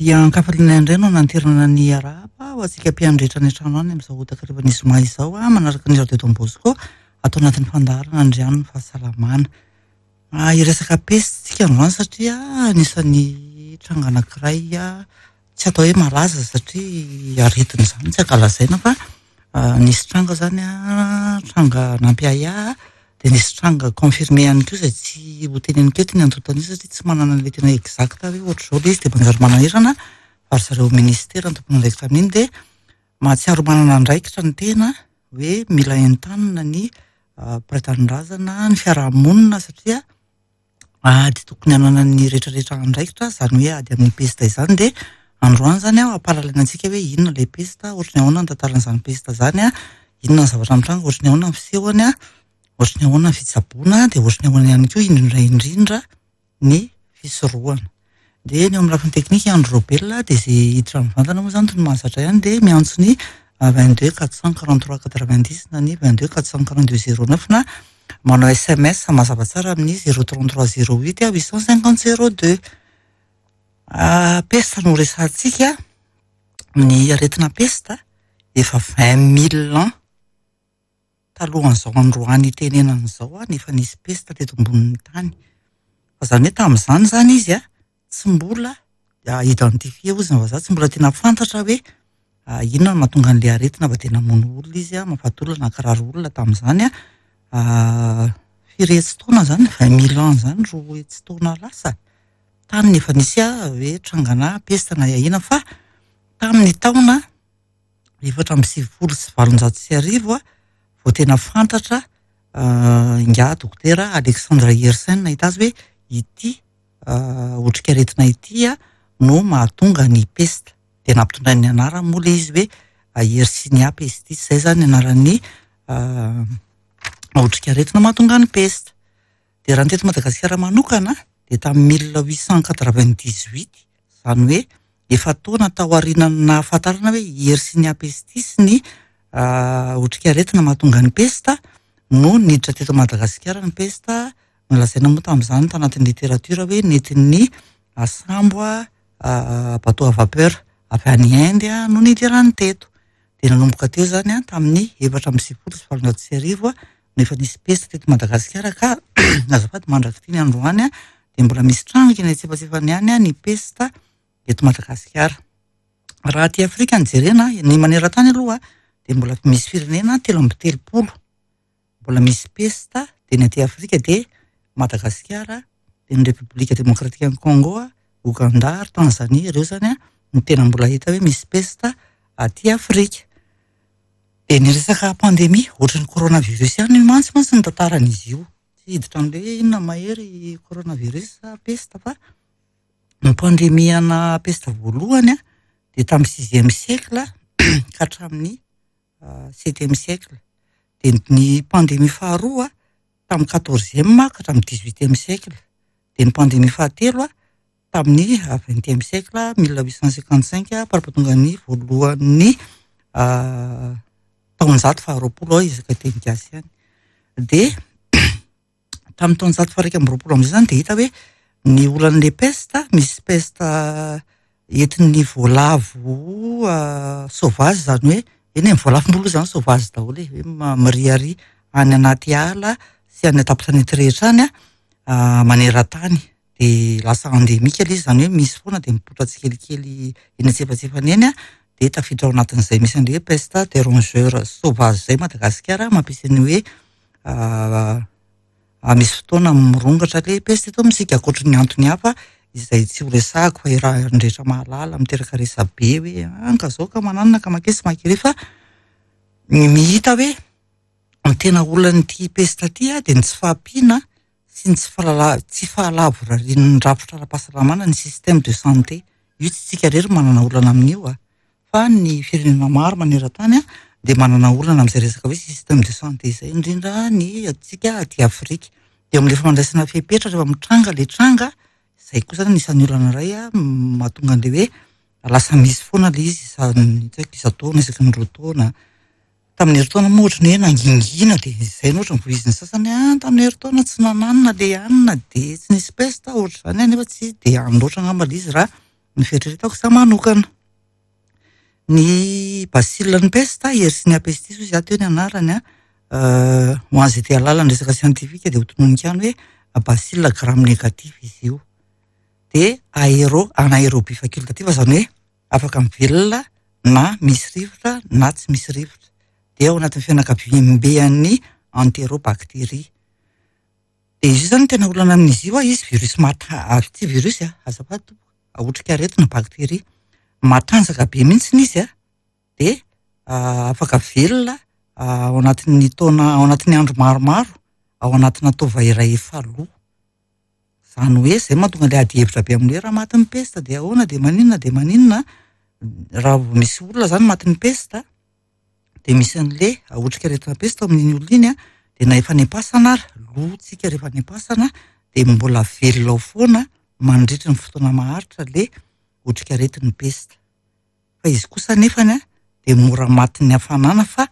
Dia an-kafaliana indray no nanterana ny arahaba ho antsika mpihaino rehetra any an-trano any amin'izao takarivan'ny zoma izao manaraka ny Radio Don Bosco ato anatin'ny fandaharana Andrian'ny fahasalamana. Hiresaka pesta isika androany satria anisan'ny tranga anankiray tsy atao hoe malaza satria aretina izany tsy ankalazaina fa nisy tranga izany tranga nampiahiahy dia nisy tranga confirmé ihany koa izay tsy ho teneniko eto ny antontan'isa satria tsy manana an'ilay tena exact hoe ohatr'izao ilay izy dia manjary manahirana fa ry zareo ministera no tompon'andraikitra amin'iny dia mahatsiaro manana andraikitra ny tena hoe mila entanina ny mpiray tanindrazana, ny fiarahamonina satria ady tokony hananan'ny rehetrarehetra andraikitra izany hoe ady amin'ny pesta izany dia androany izany aho hampahalalana antsika hoe inona ilay pesta, ohatry ny ahoana ny tantaran'izany pesta izany, inona ny zavatra mitranga, ohatry ny ahoana ny fisehony, ohatry ny ahoana ny fitsaboana, dia ohatry ny ahoana ihany koa indrindra indrindra ny fisorohana. Dia ny eo amin'ny lafiny teknika Andry Raobelina dia izay hiditra mivantana moa izany toy ny mahazatra ihany dia miantso ny 22 443 90 na ny 22 442 09 na manao sms mazava tsara amin'ny 033 08 850 02. Pesta no resahantsika, ny aretina pesta efa 20 mille ans talohan'izao androany itenenana izao no efa nisy pesta teto ambonin'ny tany. Fa izany hoe tamin'izany izany izy tsy mbola identifié hozy ny vazaha, tsy mbola tena fantatra hoe inona no mahatonga an'ilay aretina fa dia namono olona izy, mahafaty olona, nankarary olona tamin'izany. Firy hetsy taona izany, vingt mille ans izany, roa hetsy taona lasa. Tany no efa nisy hoe trangana pesta na ahiana fa tamin'ny taona 1894 vao tena fantatra ingahy dokotera Alexandre Yersin nahita azy hoe ity otrikaretina ity no mahatonga ny pesta. Dia nampitondrainy ny anarany moa ilay izy hoe Yersinia pestis, izay izany ny anaran'ny otrikaretina mahatonga ny pesta. Dia raha ny teto Madagasikara manokana dia tamin'ny 1898, izany hoe efa-taona taorian'ny nahafantarana hoe Yersinia pestis ny otrikaretina mahatonga ny pesta no niditra teto Madagasikara ny pesta. Nolazaina moa tamin'izany tanatin'ny literatiora hoe nentin'ny sambo bateau à vapeur avy any Inde no nidirany teto. Dia nanomboka teo izany tamin'ny 1894 no efa nisy pesta teto Madagasikara ka azafady mandrak'ity ny androany dia mbola misy tranga eny antsefatsefany ihany ny pesta eto Madagasikara. Raha aty Afrika no jerena, ny maneran-tany aloha dia mbola misy firenena 33 mbola misy pesta, dia ny aty Afrika dia Madagasikara, dia ny Repoblika Demokratikan'i Congo, Ouganda ary Tanzania, ireo izany no tena mbola hita hoe misy pesta aty Afrika. Dia ny resaka pandemia, ohatran'ny coronavirus ihany io mantsy mantsy ny tantaran'izy io. Tsy hiditra amin'ilay hoe inona mahery coronavirus sa pesta fa ny pandemia ana pesta voalohany dia tamin'ny sixième siècle ka hatramin'ny septième siècle. Dia ny pandemia faharoa tamin'ny quatorzième ka hatramin'ny dix-huitième siècle. Dia ny pandemia fahatelo tamin'ny vingtième siècle, 1855, fara-pahatongan'ny voalohan'ny taonjato faharoapolo ao isaka teny gasy ihany. Dia tamin'ny taonjato faha-21 amin'izay izany dia hita hoe ny olan'ilay peste, misy peste entin'ny voalavo sauvage izany hoe, eny e, ny voalavo moa aloha izany sauvage daholo e, hoe miriaria any anaty ala sy any an-tampon-tanety rehetra any maneran-tany. Dia lasa endémique ilay izy, izany hoe misy foana dia mipoitra tsikelikely eny antsefatsefany eny dia tafiditra ao anatin'izay misy an'ilay hoe peste des rongeurs sauvages izay Madagasikara mampisy ny hoe misy fotoana mirongatra ilay peste eto amintsika, ankoatry ny antony hafa izay tsy ho resahako fa iarahan'ny rehetra mahalala, miteraka resabe hoe an ka zao ka mananona ka makesy makery fa ny mihita hoe ny tena olan'ity peste ity dia ny tsy fahampiana sy ny tsy fahalala tsy fahalavorarian'ny rafitra ara-pahasalamana, ny système de santé. Io tsy tsika irery manana olana amin'io a, fa ny firenena maro maneran-tany dia manana olana amin'izay resaka hoe système de santé izay, indrindra ny antsika aty Afrika. Dia amin'ilay fandraisana fepetra rehefa mitranga ilay tranga, izay koa izany anisan'ny olana iray mahatonga an'ilay hoe lasa misy foana ilay izy isan- tsy haiko isan-taona, isaky ny roa taona. Tamin'ny herintaona moa ohatran'ny hoe nangingina dia izay no ohatran'ny voizin'ny sasany hoe tamin'ny herintaona tsy nananona ilay hanina dia tsy nisy pesta ohatr'izany nefa tsy dia any loatra angamba ilay izy raha ny fieritreretako izaho manokana. Ny bacille ny peste, Yersinia pestis hoy izaho teo ny anarany an, ho an'izay te hahalala ny resaka siantifika dia ho tononiko ihany hoe bacille gram négatif izy io. Dia aéro, anaérobie facultative izany hoe afaka mivelona na misy rivotra na tsy misy rivotra. Dia ao anatin'ny fianakaviamben'ny enterobactérie. Dia izy io izany tena olana amin'izy io, izy virus mata-, tsy virus a, azafady tompoko, otrikaretina bakteria. Matanjaka be mihitsy izy a, dia afaka velona ao anatin'ny taona, ao anatin'ny andro maromaro, ao anatina taova iray efa lo. Izany hoe izay mahatonga ilay adihevitra be amin'ny hoe raha matin'ny pesta dia ahoana dia maninona dia maninona. Raha vao misy olona izany matin'ny pesta dia misy an'ilay otrikaretina pesta ao amin'iny olona iny a, dia na efa any am-pasana ary, lo tsika rehefa any am-pasana dia mbola velona ao foana mandritry ny fotoana maharitra ilay otrikaretin'ny pesta. Fa izy kosa nefany a dia mora matin'ny hafanana fa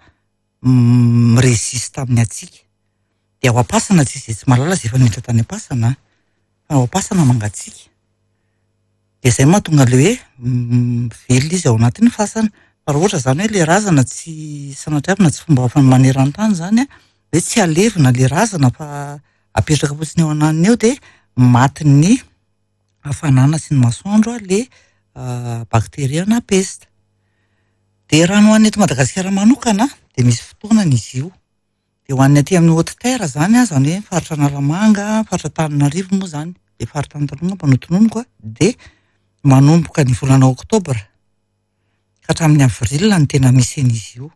mi-résiste amin'ny hatsiaka. Dia ao am-pasana tsy izay tsy mahalala izay efa niditra tany am-pasana fa ao am-pasana mangatsiaka. Dia izay mahatonga ilay hoe mivelona izy ao anatin'ny fasana. Fa raha ohatra izany hoe ilay razana tsy sanatriavina tsy fomba hafa maneran-tany izany a, hoe tsy alevina ilay razana fa apetraka fotsiny eo ananiny eo dia matin'ny hafanana sy ny masoandro ilay bakteria na pesta. Dia raha ny ho an'ny eto Madagasikara manokana dia misy fotoanany izy io. Dia ho an'ny aty amin'ny haute terre izany, izany hoe faritra Analamanga, faritra Antananarivo moa izany, ilay faritra tany taloha angamba no tononiko a, dia manomboka ny volana oktobra ka hatramin'ny avril no tena misy an'izy io.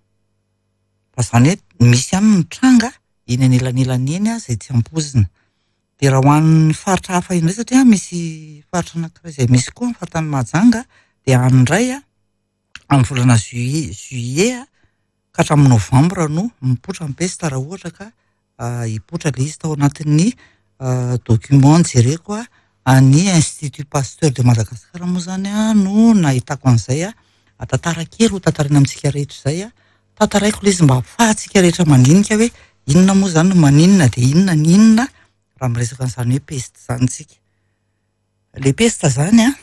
Fa izany hoe misy ihany ny tranga eny anelanelany eny izay tsy ampoizina. Dia raha ho an'ny faritra hafa indray satria misy faritra anankiray izay misy koa ny faritany Mahajanga dia any indray a, amin'ny volana juillet juillet ka hatramin'ny novambra no mipoitra ny pesta raha ohatra ka hipoitra ilay izy tao anatin'ny document jereko an'ny Institut Pasteur de Madagascar moa izany no nahitako an'izay. Tantara kely ho tantaraina amintsika rehetra izay. Tantaraiko ilay izy mba ahafahantsika rehetra mandinika hoe inona moa izany no maninona dia inona ny inona raha miresaka an'izany hoe peste izany isika. Ilay peste izany an,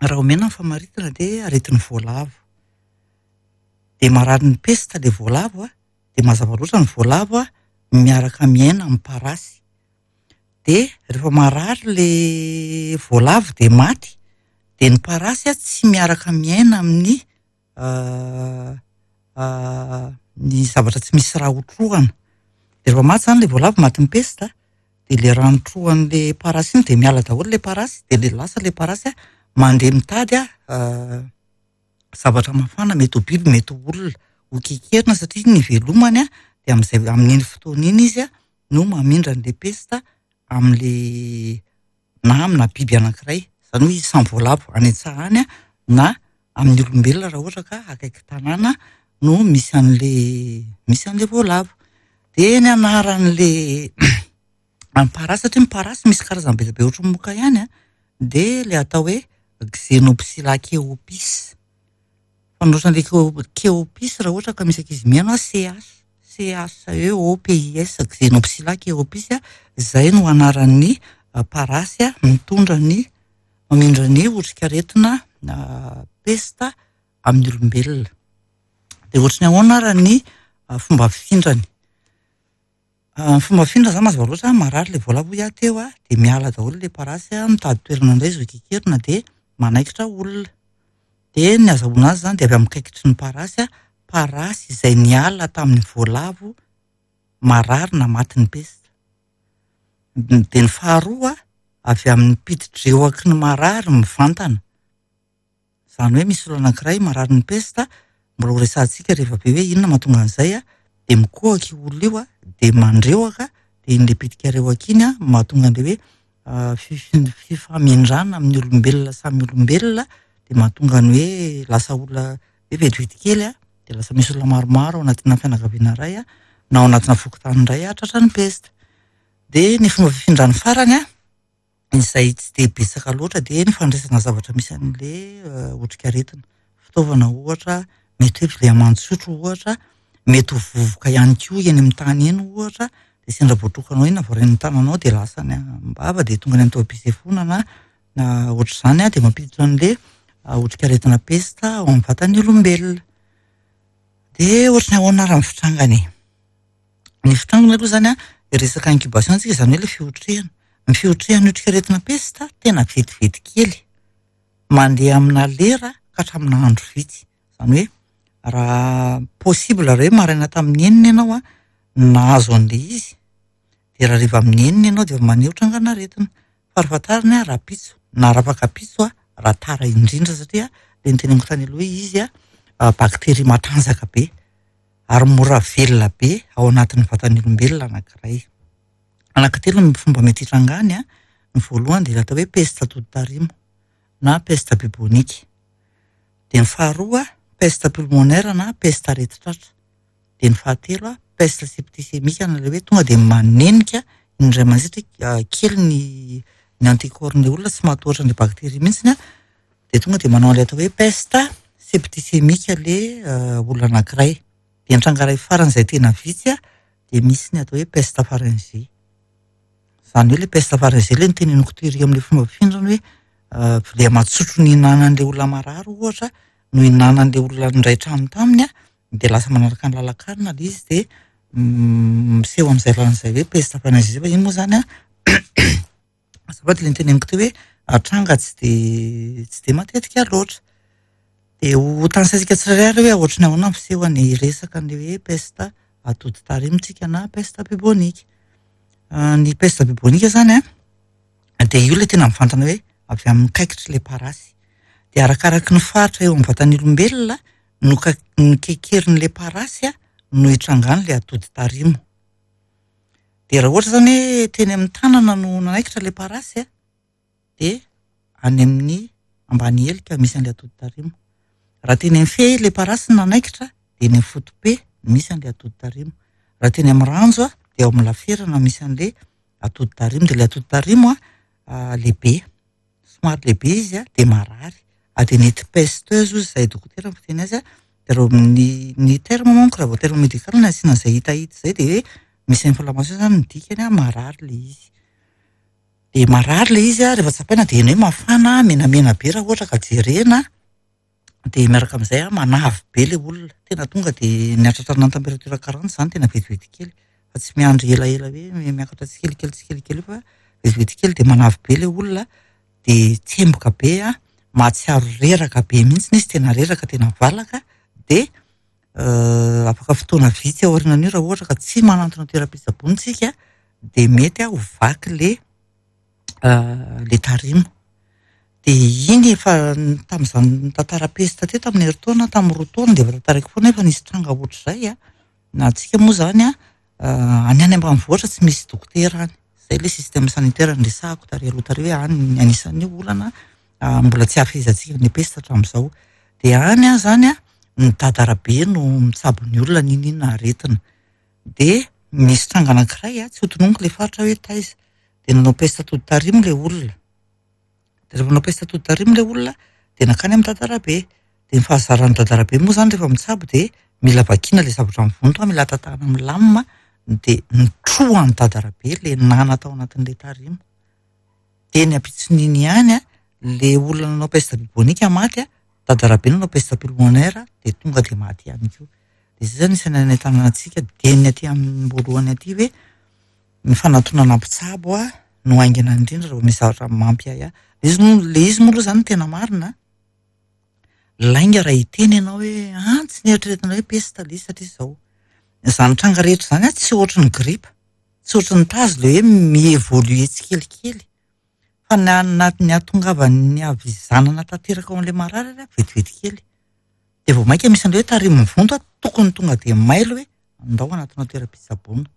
raha omena ny famaritana dia aretin'ny voalavo. Dia marary ny peste ilay voalavo an, dia mazava loatra ny voalavo an miaraka miaina amin'ny parasy. Dia rehefa marary ilay voalavo dia maty, dia ny parasy an tsy miaraka miaina amin'ny ny zavatra tsy misy rà hotrohana. Dia rehefa maty izany ilay voalavo, matin'ny pesta, dia ilay rano trohan'ilay parasy iny dia miala daholo ilay parasy, dia ilay lasa ilay parasy an, mandeha mitady an zavatra mafana, mety ho biby, mety ho olona, ho kekerina satria ny ivelomany an, dia amin'izay amin'iny fotoana iny izy an no mamindra an'ilay pesta amin'ilay na amina biby anankiray, izany hoe samy voalavo any an-tsaha any na amin'ny olombelona raha ohatra ka akaiky tanàna no misy an'ilay misy an'ilay voalavo. Dia ny anaran'ilay ny parasy satria ny parasy misy karazany be dia be ohatran'ny moka ihany an, dia ilay atao hoe Xenopsylla cheopis. Fanoratra an'ilay cheopis raha ohatra ka misy ankizy mihaino an, CH, C-H-E-O-P-I-S, Xenopsylla cheopis, izay no anaran'ny parasy mitondra ny mamindra ny otrikaretina pesta amin'ny olombelona. Dia ohatry ny ahoana ary ny fomba fifindrany? Ny fomba fifindra izany mazava loatra, marary ilay voalavo hoy aho teo a, dia miala daholo ilay parasy a, mitady toerana indray izy ho kekerina dia manaikitra olona. Dia ny azahoana azy izany dia avy amin'ny kaikitry ny parasy a, parasy izay niala tamin'ny voalavo marary na matin'ny pesta. Dia ny faharoa avy amin'ny piti-drehoky ny marary mivantana. Izany hoe misy olona anankiray marary ny pesta, mbola ho resahantsika rehefa avy eo hoe inona mahatonga an'izay an, dia mikohaka io olona io an, dia mandrehoka, dia iny le bitika rehoka iny an mahatonga an'ilay hoe fifamindrana amin'ny olombelona samy olombelona, dia mahatonga ny hoe lasa olona hoe vetivety kely an, dia lasa misy olona maromaro ao anatina fianakaviana iray an, na ao anatina fokontany iray an, tratran'ny pesta. Dia ny fomba fifindran'ny farany an, izay tsy dia betsaka loatra dia ny fandraisana zavatra misy an'ilay otrikaretina. Fitaovana ohatra, mety hoe vilia aman-tsotro ohatra, mety ho vovoka ihany koa eny amin'ny tany eny ohatra, dia sendra voatrokanao iny na voarain'ny tananao dia lasa any am-bava dia tonga any amin'ny taovam-pisefoana na na ohatr'izany dia mampiditra an'ilay otrikaretina pesta ao amin'ny vatan'ny olombelona. Dia ohatry ny ahoana ary ny fitrangany e? Ny fitrangany aloha izany an, resaka incubation tsika, izany hoe ilay fiotrehana. Ny fiotrehan'ny otrikaretina pesta tena vetivety kely, mandeha amina lera ka hatramina andro vitsy. Izany hoe raha possible raha hoe maraina tamin'ny enina ianao an, nahazo an'ilay izy, dia raha hariva amin'ny enina ianao dia efa maneho trangan'aretina. Farafahatarany an, rahampitso na rafakapitso an, raha tara indrindra satria ilay noteneniko tany aloha hoe izy an, bakteria matanjaka be ary mora velona be ao anatin'ny vatan'ny olombelona anankiray. Anankitelo ny fomba mety hitrangany an, ny voalohany dia ilay atao hoe peste atoditarimo na peste bubonique. Dia ny faharoa peste pulmonaire na peste aretin-tratra. Dia ny fahatelo peste septicémique na ilay hoe tonga dia manenika indray mandeha satria kely ny ny anticorps-n'ilay olona tsy mahatohatra an'ilay bakteria mihitsy an, dia tonga dia manao an'ilay atao hoe peste septicémique ilay olona anankiray. Dia ny tranga iray farany izay tena vitsy an, dia misy ny atao hoe peste pharyngée. Izany hoe ilay peste pharyngée ilay noteneniko tery amin'ilay fomba fihinana hoe vilia matsotro nihinanan'ilay olona marary ohatra no hihinanan'ilay olona niray trano taminy an, dia lasa manaraka ny lalan-kanina ilay izy dia miseho amin'izay lalana izay hoe peste pharyngée fa iny moa izany an, azafady ilay noteneniko teo hoe tranga tsy dia tsy dia matetika loatra. Dia ho tanisaintsika tsirairay ary hoe ohatry ny ahoana ny fisehony resaka an'ilay hoe peste atoditarimo tsika na peste bubonique. Ny peste bubonique izany an, dia io ilay tena mivantana hoe avy amin'ny kaikitr'ilay parasy. Dia arakaraky ny faritra eo amin'ny vatan'ny olombelona no ka- no kekerin'ilay parasy no hitrangan'ilay atoditarimo. Dia raha ohatra izany hoe teny amin'ny tanana no nanaikitra ilay parasy dia any amin'ny ambany helika misy an'ilay atoditarimo. Raha teny amin'ny fe ilay parasy no nanaikitra dia eny amin'ny foto-pe misy an'ilay atoditarimo. Raha teny amin'ny ranjo dia ao amin'ny laferana misy an'ilay atoditarimo. Dia ilay atoditarimo lehibe, somary lehibe izy dia marary. Adenite pesteuse hozy izahay dokotera ny fiteny azy. Dia raha ny ny terme manko raha vao terme médical no asiana an'izay hitahita izay dia hoe misy inflammation izany ny dikany marary ilay izy. Dia marary ilay izy rehefa tsapaina dia heno hoe mafana, menamena be raha ohatra ka jerena. Dia miaraka amin'izay manavy be ilay olona. Tena tonga dia ny hatratrarana ny température 40 izany tena vetivety kely. Fa tsy miandry elaela hoe miakatra tsikelikely tsikelikely eo fa vetivety kely dia manavy be ilay olona. Dia tsemboka be an, mahatsiaro reraka be mihitsy izy, tena reraka, tena valaka. Dia afaka fotoana vitsy aorianan'io raha ohatra ka tsy manantona toeram-pitsaboana isika dia mety ho vaky ilay ilay tarimo. Dia iny efa tamin'izany tantara pesta teo tamin'ny herintaona, tamin'ny 2 taona dia efa tantaraiko foana efa nisy tranga ohatr'izay an. Na antsika moa izany an, any any ambanivohitra tsy misy dokotera any. Izay ilay système sanitaire niresahako tary aloha tary hoe any ny anisan'ny olana mbola tsy hahafehezantsika ny pesta hatramin'izao. Dia any an izany an, ny dadarabe no mitsabo ny olona n'inon'inona aretina. Dia nisy tranga anankiray an, tsy ho tononiko ilay faritra hoe taiza. Dia nanao pesta atoditarimo ilay olona. Dia rehefa nanao pesta atoditarimo ilay olona dia nankany amin'ny dadarabe. Dia ny fahazaran'ny dadarabe moa izany rehefa mitsabo dia mila vakiana ilay zavatra mivonto, mila tatahana milamina dia nitrohan'ny dadarabe ilay nana tao anatin'ilay tarimo. Dia ny ampitson'iny ihany an, ilay olona nanao peste bubonique maty an, dadarabe nanao peste pulmonaire dia tonga dia maty ihany koa. Dia izay izany isan'ny hanentanana antsika dieny aty amin'ny voalohany aty hoe ny fanatonana mpitsabo no haingana indrindra raha vao misy zavatra mampiahiahy. Ilay izy moa, ilay izy moa aloha izany no tena marina an, lainga raha hiteny ianao hoe ah tsy nieritreretina hoe peste ilay izy satria izao. Izany tranga rehetra izany an tsy ohatry ny gripa, tsy ohatry ny tazo ilay hoe mi-évoluer tsikelikely. Fa ny ny hahatongavan'ny havizanana tanteraka ao amin'ilay marary ary an vetivety kely. Dia vao mainka misy an'ilay hoe tarimo mivonto an, tokony tonga dia mailo hoe andao hanatona toeram-pitsaboana.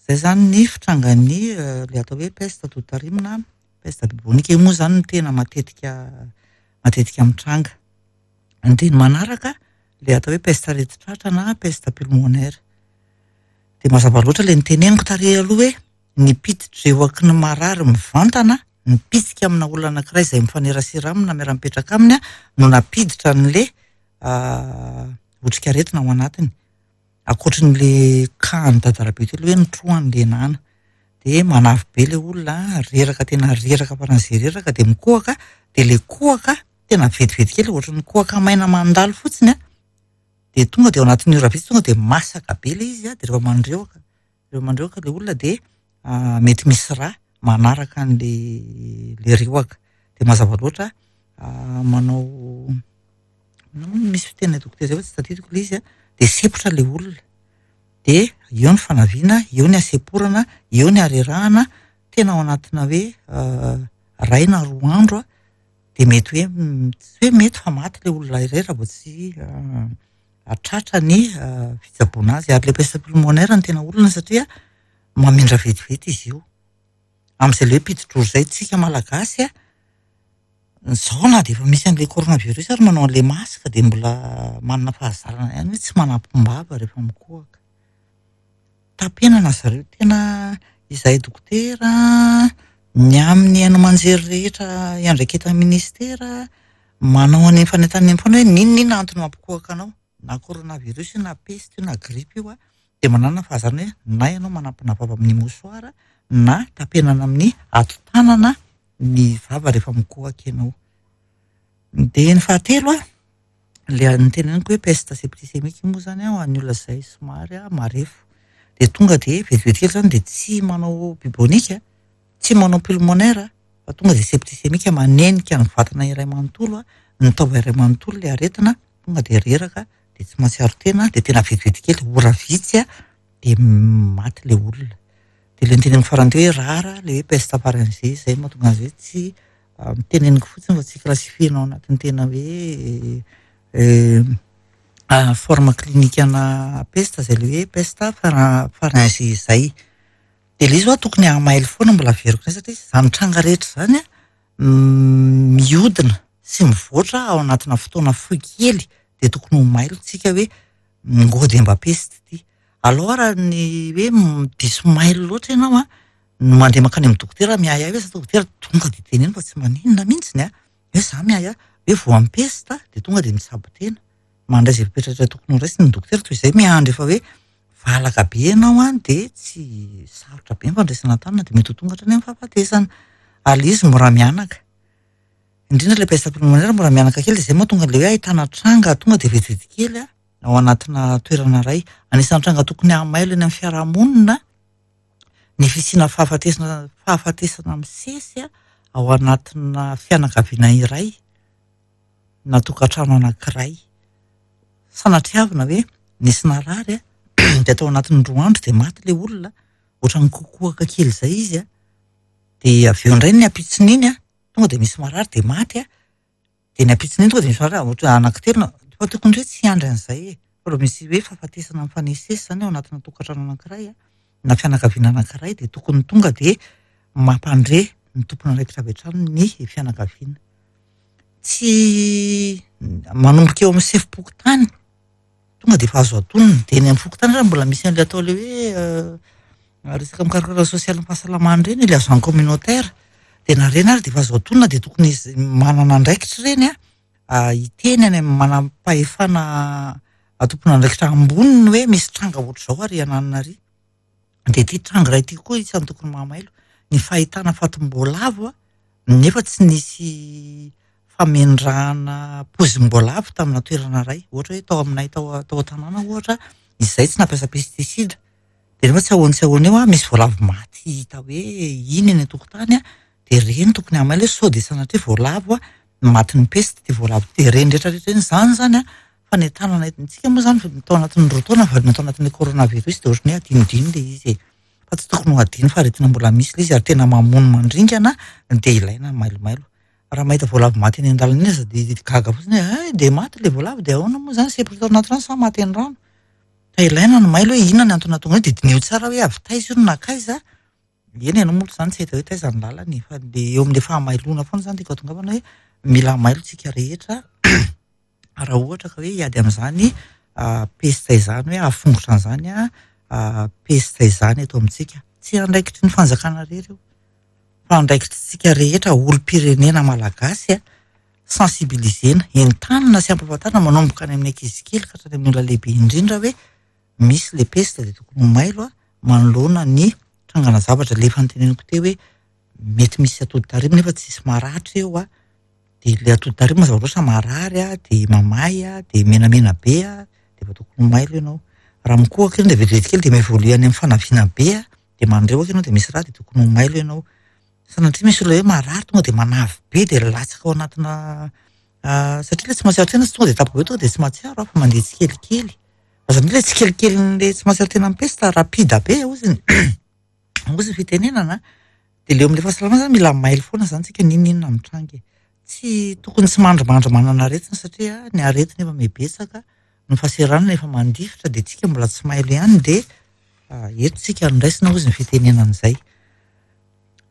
Izay izany ny fitrangan'ny ilay atao hoe peste atoditarimo na peste bubonique. Io moa izany no tena matetika matetika mitranga. Dia ny manaraka ilay atao hoe peste aretin-tratra na peste pulmonaire. Dia mazava loatra ilay noteneniko tary aloha hoe ny piti-drehoky ny marary mivantana, mipitsika amina olona anankiray izay mifanerasera aminy na miara-mipetraka aminy no nampiditra an'ilay otrikaretina ao anatiny. Ankoatry ny le cas an'i Dadarabe teo aloha hoe nitrohany le nana. Dia manavy be ilay olona, reraka tena reraka faran'izay reraka dia mikohaka, dia ilay kohaka tena vetivety kely ohatran'ny kohaka maina mandalo fotsiny an, dia tonga dia ao anatin'ny ora vitsy tonga dia masaka be ilay izy an, dia rehefa mandrehoka, rehefa mandrehoka ilay olona dia mety misy rà manaraka an'ilay ilay rehoka. Dia mazava loatra manao inona moa misy fiteny dokotera izay fa tsy tadidiko ilay izy an, dia sempotra ilay olona. Dia eo ny fanaviana, eo ny hasemporana, eo ny harerahana, tena ao anatina hoe iray na roa andro dia mety hoe tsy hoe mety fa maty ilay olona iray raha vao tsy tratra ny fitsaboana azy. Ary ilay peste pulmonaire no tena olana satria mamindra vetivety izy io. Amin'izay ilay hoe mpidi-droa izay tsika malagasy a, izao na dia efa misy an'ilay coronavirus ary manao an'ilay masque dia mbola manana fahazarana ihany hoe tsy manampim-bava rehefa mikohaka. Tapenana zareo tena izahay dokotera, ny amin'ny haino aman-jery rehetra iandraiketan'ny ministera, manao an'iny fanentanana iny foana hoe n'inon'inona antony mampikohaka anao, na coronavirus io na peste io na grippe io a, dia manana fahazarana hoe na ianao manampina vava amin'ny mouchoir na tapenana amin'ny hatotanana ny vava rehefa mikohaka ianao. Dia ny fahatelo a, ilay noteneniko hoe peste septicémique moa izany ho an'ny olona izay somary marefo. Dia tonga dia vetivety kely izany dia tsy manao bubonique, tsy manao pulmonaire fa tonga dia septicémique manenika ny vatana iray manontolo, ny taova iray manontolo ilay aretina, tonga dia reraka, dia tsy mahatsiaro tena, dia tena vetivety kely, ora vitsy dia maty ilay olona. Dia ilay noteneniko farany teo hoe rare ilay hoe peste pharyngée, izay no mahatonga azy hoe tsy teneniko fotsiny fa tsy classifier-na ao anatin'ny tena hoe forme clinique ana peste izay ilay hoe peste pharyngée izay. Dia ilay izy hoa tokony hamailo foana mbola averiko indray satria izany tranga rehetra izany an, mihodina sy mivoatra ao anatina fotoana fohy kely dia tokony ho mailo tsika hoe ngô dia mba peste ity. Alao raha ny hoe diso mailo loatra ianao an, no mandeha mankany amin'ny dokotera miahiahy hoe za dokotera tonga dia teneno fa tsy maninona mihitsiny an, hoe za miahiahy hoe voan'ny peste dia tonga dia mitsabo tena. Mandray izay fepetra rehetra tokony ho raisiny ny dokotera toy izay miandry efa hoe valaka be ianao an dia tsy sarotra be ny fandraisana an-tanana dia mety ho tonga hatrany amin'ny fahafatesana. Ary ilay izy mora mihanaka. Indrindra ilay peste pulmonaire mora mihanaka kely dia izay mahatonga an'ilay hoe ahitana tranga tonga dia vetivety kely ao anatina toerana iray. Anisan'ny tranga tokony hamailo eny amin'ny fiarahamonina ny fisiana fahafatesana fahafatesana misesy ao anatina fianakaviana iray na tokantrano anankiray. Sanatriavina hoe nisy narary dia tao anatin'ny roa andro dia maty ilay olona, ohatran'ny kokohaka kely izay izy an, dia avy eo indray ny ampitson'iny an, tonga dia misy marary dia maty an, dia ny ampitson'iny tonga dia misy marary ohatra anankitelo na, fa tokony hoe tsy hiandry an'izay e, fa raha misy hoe fahafatesana mifanesisesy izany ao anatina tokantrano anankiray an, na fianakaviana anankiray dia tokony tonga dia mampandre ny tompon'andraikitra avy hatrany ny fianakaviana. Tsy manomboka eo amin'ny sefom-pokontany tonga dia efa azo antonona, dia eny amin'ny fokontany ary mbola misy an'ilay atao ilay hoe resaka mikarakara sosialin'ny fahasalamana ireny, ilay agent communautaire, dia na ireny ary dia efa azo antonona dia tokony izy manana andraikitra ireny an, hiteny any amin'ny manam-pahefana tompon'andraikitra amboniny hoe misy tranga ohatr'izao ary ananona ary. Dia ity tranga iray ity koa isan'ny tokony mahamailo, ny fahitana fatim-boalavo nefa tsy nisy famendrahana pozim-boalavo tamina toerana iray. Ohatra hoe tao aminay tao tao an-tanàna ohatra, izay tsy nampiasa pesticide. Dia nefa tsy ahoana tsy ahoana eo misy voalavo maty hita hoe iny eny an-tokotany dia ireny tokony hamailo hoe sao dia sanatria voalavo matin'ny peste ity voalavo ity. Dia ireny rehetra rehetra ireny izany izany an, fanentanana entintsika moa izany tao anatin'ny roa taona vao natao anatin'ny coronavirus dia ohatran'ny hoe adinodino ilay izy e. Fa tsy tokony ho adino fa aretina mbola misy ilay izy ary tena mamono mandringana dia ilaina ny mailomailo. Raha mahita voalavo maty eny an-dalana eny aza dia gaga fotsiny hoe hay dia maty ilay voalavo dia ahoana moa izany sempotra tao anaty rano sa maty eny rano. Fa ilaina ny mailo hoe inona ny antony nahatonga an'io dia diniho tsara hoe avy taiza io no nankaiza. Eny ianao moa izany tsy hita hoe taiza ny lalana e, fa dia eo amin'ilay fahamailona foana izany tiako hahatongavana hoe mila mailo tsika rehetra raha ohatra ka hoe hiady amin'izany pesta izany hoe hahafongotra an'izany pesta izany eto amintsika. Tsy andraikitry ny fanjakana irery io fa andraikitritsika rehetra olom-pirenena malagasy sensibilisena, entanina sy ampahafantarina manomboka any amin'ny ankizy kely ka hatrany amin'ny olona lehibe indrindra hoe misy le pesta dia tokony ho mailo manoloana ny. trangana zavatra le efa noteneniko teo hoe mety misy atody tarehy nefa tsisy maratra eo a, de le atody tarehy mazava loatra marary a, de mamay a, de menamena be a, de efa tokony ho mailo ianao. Raha mikohaka iny de vetivety kely de mi-évoluer any amin'ny fanaviana be a, de mandrehoka ianao de misy rà de tokony ho mailo ianao. Sanatria misy olona hoe marary tonga de manavy be de latsaka ao anatina satria le tsy mahatsiaro tena tsy tonga de tampoka be tonga de tsy mahatsiaro fa mandeha tsikelikely. Fa zany hoe le tsikelikelin'le tsy mahatsiaro tena amin'ny pesta rapide be hozy ny hozy ny fitenenana. De le eo amin'le fahasalamana zany mila mailo foana zany tsika n'inon'inona mitranga e. Tsy tokony tsy mandrimandry manana aretina satria ny aretina efa mihebetsaka, ny fahaseranana efa mandifitra de tsika mbola tsy mailo ihany de eto tsika no raisina hozy ny fitenenana izay.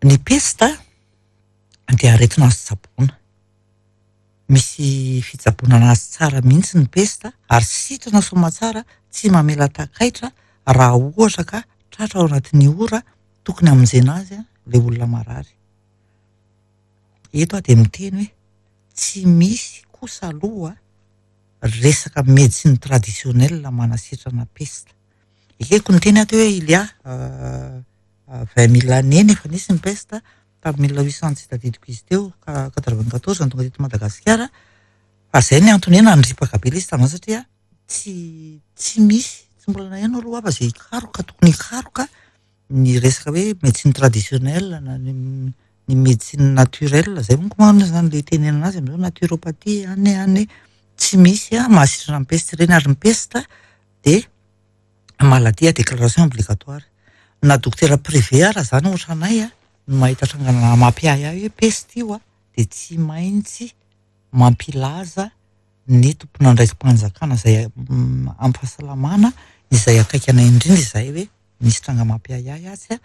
Ny pesta dia aretina azo tsaboina. Misy fitsaboana anazy tsara mihitsy ny pesta ary sitrana soamantsara tsy mamela takaitra raha ohatra ka tratra ao anatin'ny ora tokony hamonjena azy ilay olona marary. Eto aho dia miteny hoe tsy misy kosa aloha resaka médecine traditionnelle manasitrana pesta. Ekeko niteny aho teo hoe il y a 20 000 années nefa nisy ny pesta tamin'ny 1800 tsy tadidiko izy teo 94 no tonga teto Madagasikara. Fa zay ny antony hoe nandripaka be ilay izy tamin'izany satria tsy tsy misy tsy mbola naheno aloha aho fa zay hikaroka tokony hikaroka ny resaka hoe médecine traditionnelle na ny ny médecine naturelle zay manko moa zany le itenenana azy amin'izao naturopathie any any tsy misy a mahasitrana ny peste ireny ary ny peste de maladie à déclaration obligatoire. Na dokotera privé ara zany ohatra anay a no mahita trangana mampiahiahy hoe peste io a de tsy maintsy mampilaza ny tompon'andraiki-panjakana izay amin'ny fahasalamana izay akaiky anay indrindra izay hoe misy tranga mampiahiahy atsy a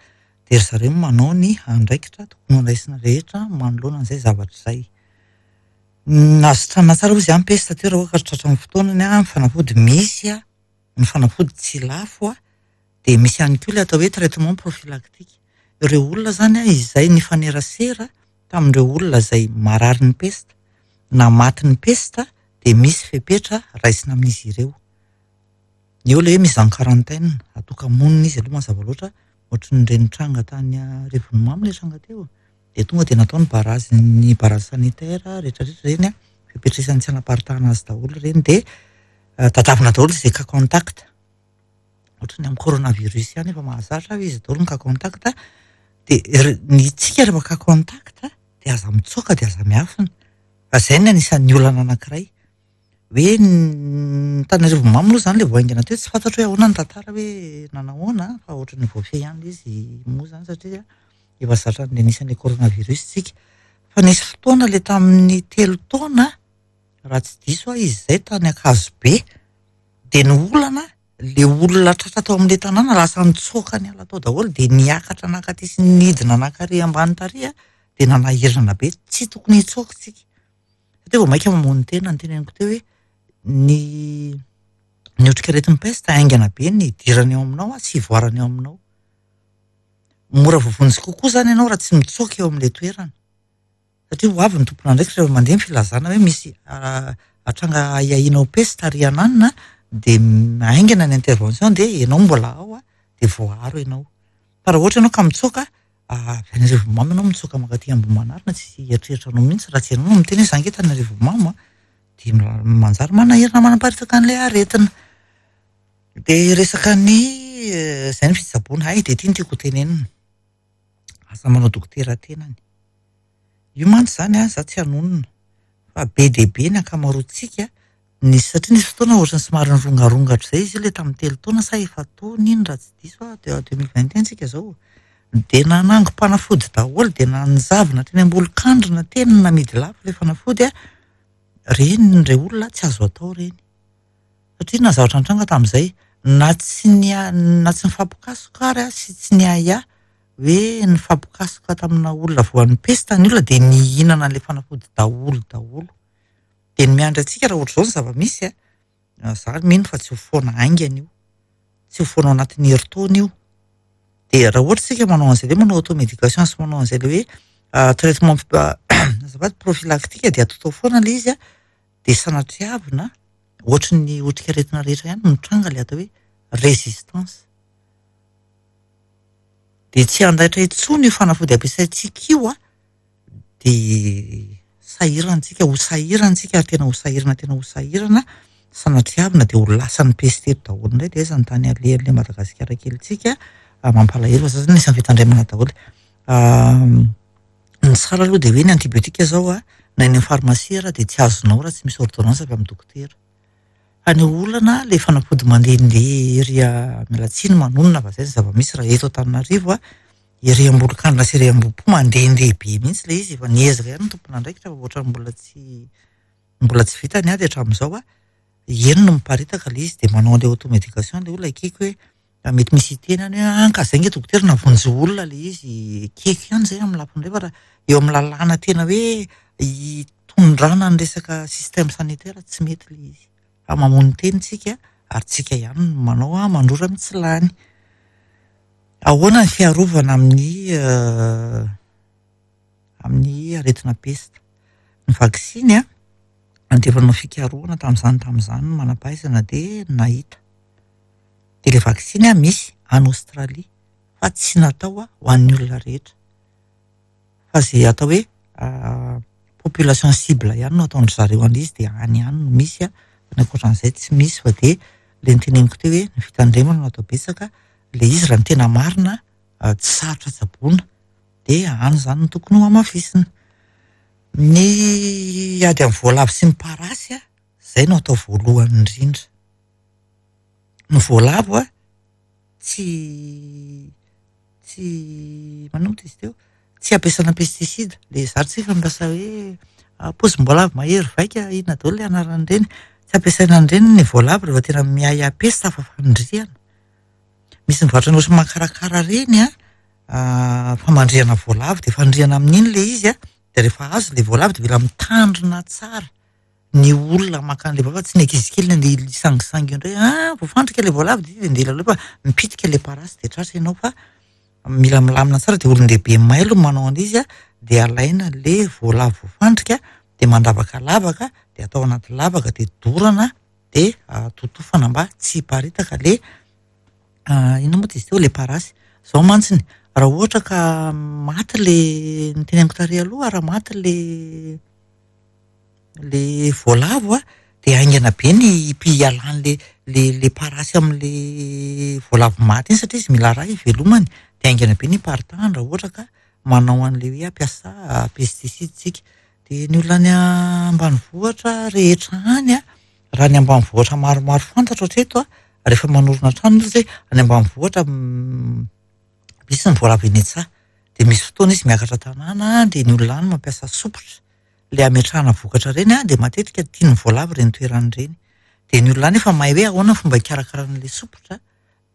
de ry zareo manao ny andraikitra tokony horaisina rehetra manoloana an'izay zavatra izay. Azo sitranina tsara hozy ny peste teo raha ohatra ka tratra amin'ny fotoanany a, ny fanafody misy a, ny fanafody tsy lafo a, de misy ihany koa ilay atao hoe traitement prophylactique. Ireo olona zany a izay nifanerasera tamin'ireo olona izay marary ny peste na maty ny peste de misy fepetra raisina amin'izy ireo. Eo ilay hoe mise en quarantaine, atoka-monina izy aloha mazava loatra, ohatran'ireny tranga tany Arivonimamo ilay tranga teo. De tonga de natao ny barrage ny barrage sanitaire rehetrarehetra ireny a, fepetra isan'ny tsy hanaparitahana azy daholo ireny de tadiavina daholo izay cas contact. Ohatran'ny amin'ny coronavirus ihany efa mahazatra hoe izy daholo ny cas contact de ny tsika rehefa cas contact de aza mitsoaka de aza miafina. Fa zay ny anisan'ny olana anankiray. Hoe ny tany Arivonimamo aloha zany le vao haingana teo tsy fantatro hoe ahoana ny tantara hoe nanahoana fa ohatran'ny voafehy ihany ilay izy moa zany satria efa zatra ny anisan'ilay coronavirus tsika. Fa nisy fotoana le tamin'ny 3 taona raha tsy diso aho izy izay tany Ankazobe de ny olana le olona tratra tao amin'ilay tanàna lasa nitsoaka niala tao daholo de niakatra nankaty sy nidina nankary ambany tary a de nanahirana be tsy tokony hitsoaka tsika. Satria vao mainka mamono tena ny teneniko teo hoe ny ny otrikaretin'ny peste haingana be ny hidirany ao aminao sy hivoarany ao aminao. Mora voavonjy kokoa zany ianao raha tsy mitsoaka eo amin'ilay toerana. Satria ho avy ny tompon'andraikitra rehefa mandeha ny filazana hoe misy tranga ahiahiana ho peste ary ananina de haingana ny intervention de ianao mbola ao a de voaaro ianao. Fa raha ohatra ianao ka mitsoaka avy any Arivonimamo ianao mitsoaka mankaty Ambohimanarina tsy hieritreritra anao mihitsy raha tsy ianao no miteny hoe za ange tany Arivonimamo a de manjary manahirana manaparitaka an'ilay aretina. De resaka ny zay ny fitsaboana hay de ty no tiako ho tenenina. Aza manao dokotera tenany. Io mantsy zany a za tsy hanonona fa be dia be ny ankamaroantsika nisy satria nisy fotoana ohatran'ny somary nirongarongatra izay izy io le tamin'ny 3 taona sa 4 taona iny raha tsy diso aho de 2021 tsika zao. De nanangom-panafody daholo de nanjavona teny am-bolon-kandrina teny namidy lafo ilay fanafody a reny re olona tsy azo atao reny. Satria na zavatra nitranga tamin'izay na tsy na tsy nifampikasoka ary sy tsy niahiahy hoe nifampikasoka tamina olona voan'ny pesta ny olona de nihinana an'ilay fanafody daholo daholo. De ny miandry antsika raha ohatr'izao ny zava-misy a, za mino fa tsy ho foana haingana io. Tsy ho foana ao anatin'ny herintaona io. De raha ohatra isika manao an'izay hoe manao automédication sy manao an'izay le hoe traitement azafady prophylactique de atao foana ilay izy a de sanatriavina ohatry ny otrikaretina rehetra ihany mitranga ilay atao hoe résistance. Dia tsy handaitra intsony io fanafody ampiasaintsika io an, dia sahirana tsika, ho sahirana tsika ary tena ho sahirana tena ho sahirana, sanatriavina dia ho lasan'ny peste eto daholo indray dia aiza ny tany alehan'ilay Madagasikara kelintsika, mampalahelo fa za zany anisan'ny fitandremana daholo. Ny tsara aloha dia hoe ny antibiotika zao an, na eny amin'ny pharmacie ara dia tsy azonao raha tsy misy ordonnance avy amin'ny dokotera. Fa ny olana ilay fanafody mandehandeha ery miala tsiny manonona fa izay ny zava-misy raha eto Antananarivo an, ery Ambolokandrina sy ery Ambohipo mandehandeha be mihitsy ilay izy, efa niezaka ihany ny tompon'andraikitra fa ohatran'ny mbola tsy mbola tsy vita ny ady hatramin'izao an, eny no miparitaka ilay izy dia manao an'ilay automédication ilay olona ekeko hoe mety misy hiteny any hoe ah ka zay nge dokotera navonjy olona ilay izy, ekeko ihany izay amin'ny lafiny iray fa raha eo amin'ny lalàna tena hoe hitondrana ny resaka système sanitaire tsy mety ilay izy fa mamono tena isika ary tsika ihany no manao ah mandrora mitsilany. Ahoana ny fiarovana amin'ny amin'ny aretina pesta? Ny vaksiny an, dia efa nanao fikarohana tamin'izany tamin'izany ny manam-pahaizana dia nahita. Dia ilay vaksiny an misy any Aostralia fa tsy natao ho an'ny olona rehetra. Fa izay atao hoe population cible ihany no ataon-dry zareo an'izy dia any ihany no misy an, fa ny ankoatran'izay tsy misy fa dia ilay noteneniko teo hoe ny fitandremana no atao betsaka, ilay izy raha ny tena marina tsy sarotra tsaboina dia any izany no tokony ho hamafisina. Ny ady amin'ny voalavo sy ny parasy an, izay no atao voalohany indrindra. Ny voalavo an, tsy tsy maninona moa izy teo? Tsy ampiasana pesticide. Ilay zary tsika mampiasa hoe pozim-boalavo mahery vaika inona daholo ilay anaran'ireny. Tsy ampiasaina an'ireny ny voalavo rehefa tena miahiahy pesta fa fandrihana. Misy mivarotra ny ohatry ny makarakara ireny an, famandrihana voalavo dia fandrihana amin'iny ilay izy an, dia rehefa azo ilay voalavo dia mila mitandrina tsara. ny olona maka an'ilay voalavo fa tsy ny ankizy kely no andeha hisangisangy eo indray, ah voafandrika ilay voalavo dia andeha hilalao fa mipitika ilay parasy dia tratra ianao fa mila milamina tsara dia olon-dehibe mailo no manao an'izy an, dia alaina ilay voalavo voafandrika dia mandavaka lavaka dia atao anaty lavaka dia dorana dia totofana mba tsy hiparitaka ilay inona moa izy teo ilay parasy. Izao mantsy raha ohatra ka maty ilay noteneniko tary aloha raha maty ilay le voalavo a, de haingana be ny hialan'le le le parasy amin'le voalavo maty iny satria izy mila rà hivelomany, de haingana be ny hiparitahany raha ohatra ka manao an'le hoe hampiasa pesticide tsika. De ny olona any ambanivohitra rehetra any a, raha ny ambanivohitra maromaro fantatro hatreto a, rehefa manorina trano izy hoe any ambanivohitra misy ny voalavo eny an-tsaha, de misy fotoana izy miakatra tanàna de ny olona any mampiasa sopotra. ilay ametrahana vokatra ireny an, dia matetika tian'ny voalavo ireny toerana ireny. Dia ny olona any efa mahay hoe ahoana ny fomba hikarakarana ilay sopotra,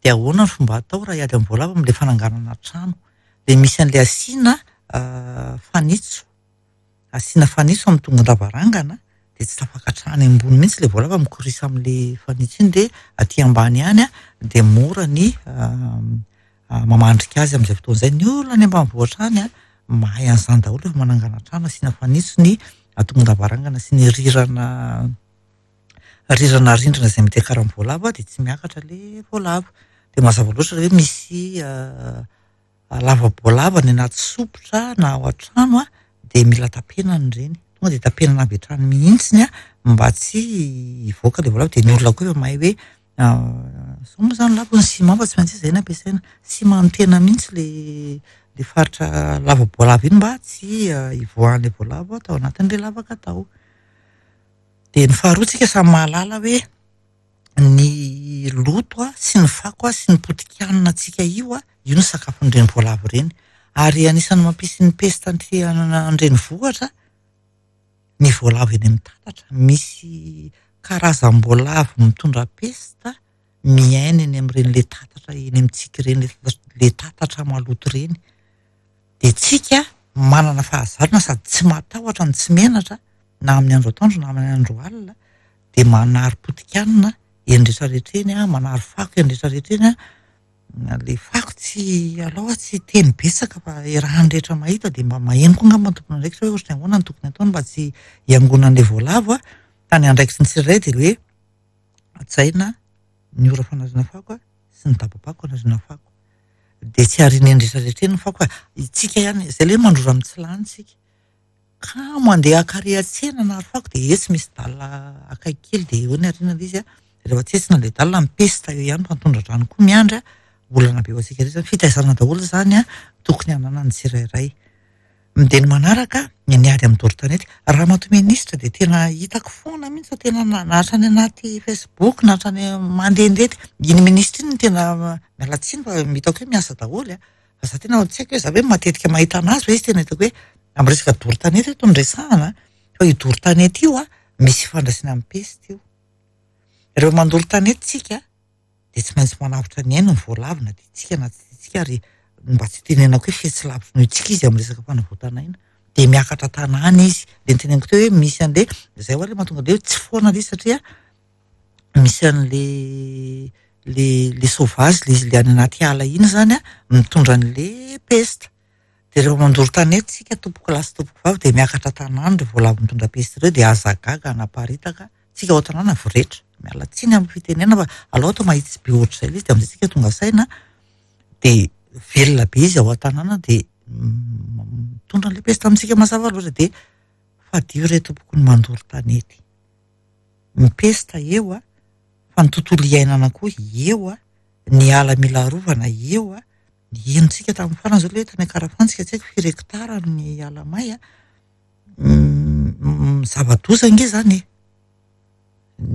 dia ahoana ny fomba atao raha hiady amin'ny voalavo amin'ilay fananganana trano. Dia misy an'ilay asiana fanitso, asiana fanitso amin'ny tongon-davarangana, dia tsy tafakatra any ambony mihitsy ilay voalavo fa mikorisa amin'ilay fanitso iny dia aty ambany ihany an, dia mora ny mamandrika azy amin'izay fotoana izay. Ny olona any ambanivohitra any an, mahay an'izany daholo rehefa manangana trano, asiana fanitso ny tongon-davarangana sy ny rirana rirana rindrina izay mety hiakaran'ny voalavo dia tsy miakatra ilay voalavo. Dia mazava loatra hoe misy lava-boalavo any anaty sopotra na ao an-trano an, dia mila tapenana ireny. Tonga dia tapenana avy hatrany mihitsy mba tsy hivoaka ilay voalavo. Dia ny olona koa efa mahay hoe Zao moa zany lafo ny ciment fa tsy maintsy izay no ampiasaina. Ciment tena mihitsy le le faritra lava-boalavo iny mba tsy hivoahan'ilay voalavo tao anatin'ilay lavaka tao. Dia ny faharoa tsika samy mahalala hoe ny loto sy ny fako sy ny potikanina antsika io, io no sakafon'ireny voalavo ireny. Ary anisan'ny mampisy ny pesta aty an-drenivohitra ny voalavo eny amin'ny tatatra. Misy karazam-boalavo mitondra pesta miaina eny amin'ireny le tatatra eny amintsika ireny, le tatatra maloto ireny. Dia tsika manana fahazarana sady tsy matahotra no tsy menatra na amin'ny andro atoandro na amin'ny andro alina dia manary potikanina eny rehetra rehetra eny, manary fako eny rehetra rehetra eny. Le fako tsy alao aho tsy hiteny betsaka fa iarahan'ny rehetra mahita dia mba maheno koa angamba ny tompon'andraikitra hoe ohatran'ny ahoana no tokony ataony mba tsy hiangonan'ilay voalavo a. Fa ny andraikitry ny tsirairay dia hoe hajaina ny ora fanariana fako sy ny daba-pako anariana fako. Dia tsy ariana eny rehetra rehetra eny ny fako fa itsika ihany, izay ilay hoe mandrora mitsilany isika. Kamo handeha haka ary an-tsena hanary fako dia etsy misy dalle akaiky kely dia eo ny ariana ilay izy an. Rehefa tsetsina ilay dalle mipesta eo ihany fa ny tondra-drano koa miandry an. Olana be ho antsika rehetra izany. Fitaizana daholo izany an, tokony hananan'ny tsirairay. Dia ny manaraka, ny ady amin'ny doro tanety. Ramatoa minisitra dia tena hitako foana mihitsy fa tena na hatrany anaty Facebook na hatrany mandehandeha iny minisitra iny no tena miala tsiny fa hitako hoe miasa daholo an. Fa za tena tsy haiko hoe za ve matetika mahita anazy fa izy tena hitako hoe amin'ny resaka doro tanety eto no resahana fa io doro tanety io an misy ifandraisany amin'ny pesta io. Rehefa mandoro tanety tsika dia tsy maintsy manavotra ny ainy ny voalavo na tiantsika na tsy tiantsika ary mba tsy hitenenako hoe fetsy lavitra noho isika izy amin'ny resaka fanavotana aina dia miakatra tanàna izy. Dia noteneniko teo hoe misy an'le izay ho'a le mahatonga an'le hoe tsy foana le izy satria misy an'le le le sauvage le izy le any anaty ala iny izany an mitondra an'le pesta. Dia rehefa mandoro tanety isika tompoko lahy sy tompoko vavy dia miakatra tanàna ireo voalavo mitondra pesta ireo dia aza gaga hanaparitaka tsika ao an-tanàna voretra. Miala tsiny amin'ny fitenenana fa aleo atao mahitsy be ohatr'izay ilay izy dia amin'izay tsika tonga saina dia velona be izy ao an-tanàna dia mitondra an'ilay pesta amintsika mazava loatra dia fadio re tompoko ny mandoro tanety. Ny pesta eo fa ny tontolo iainana koa eo, ny ala mila arovana eo. Henontsika tamin'ny farany izao ilay hoe tany Ankarafantsika tsy haiko firy hectare ny ala may a. Zava-doza ange izany e.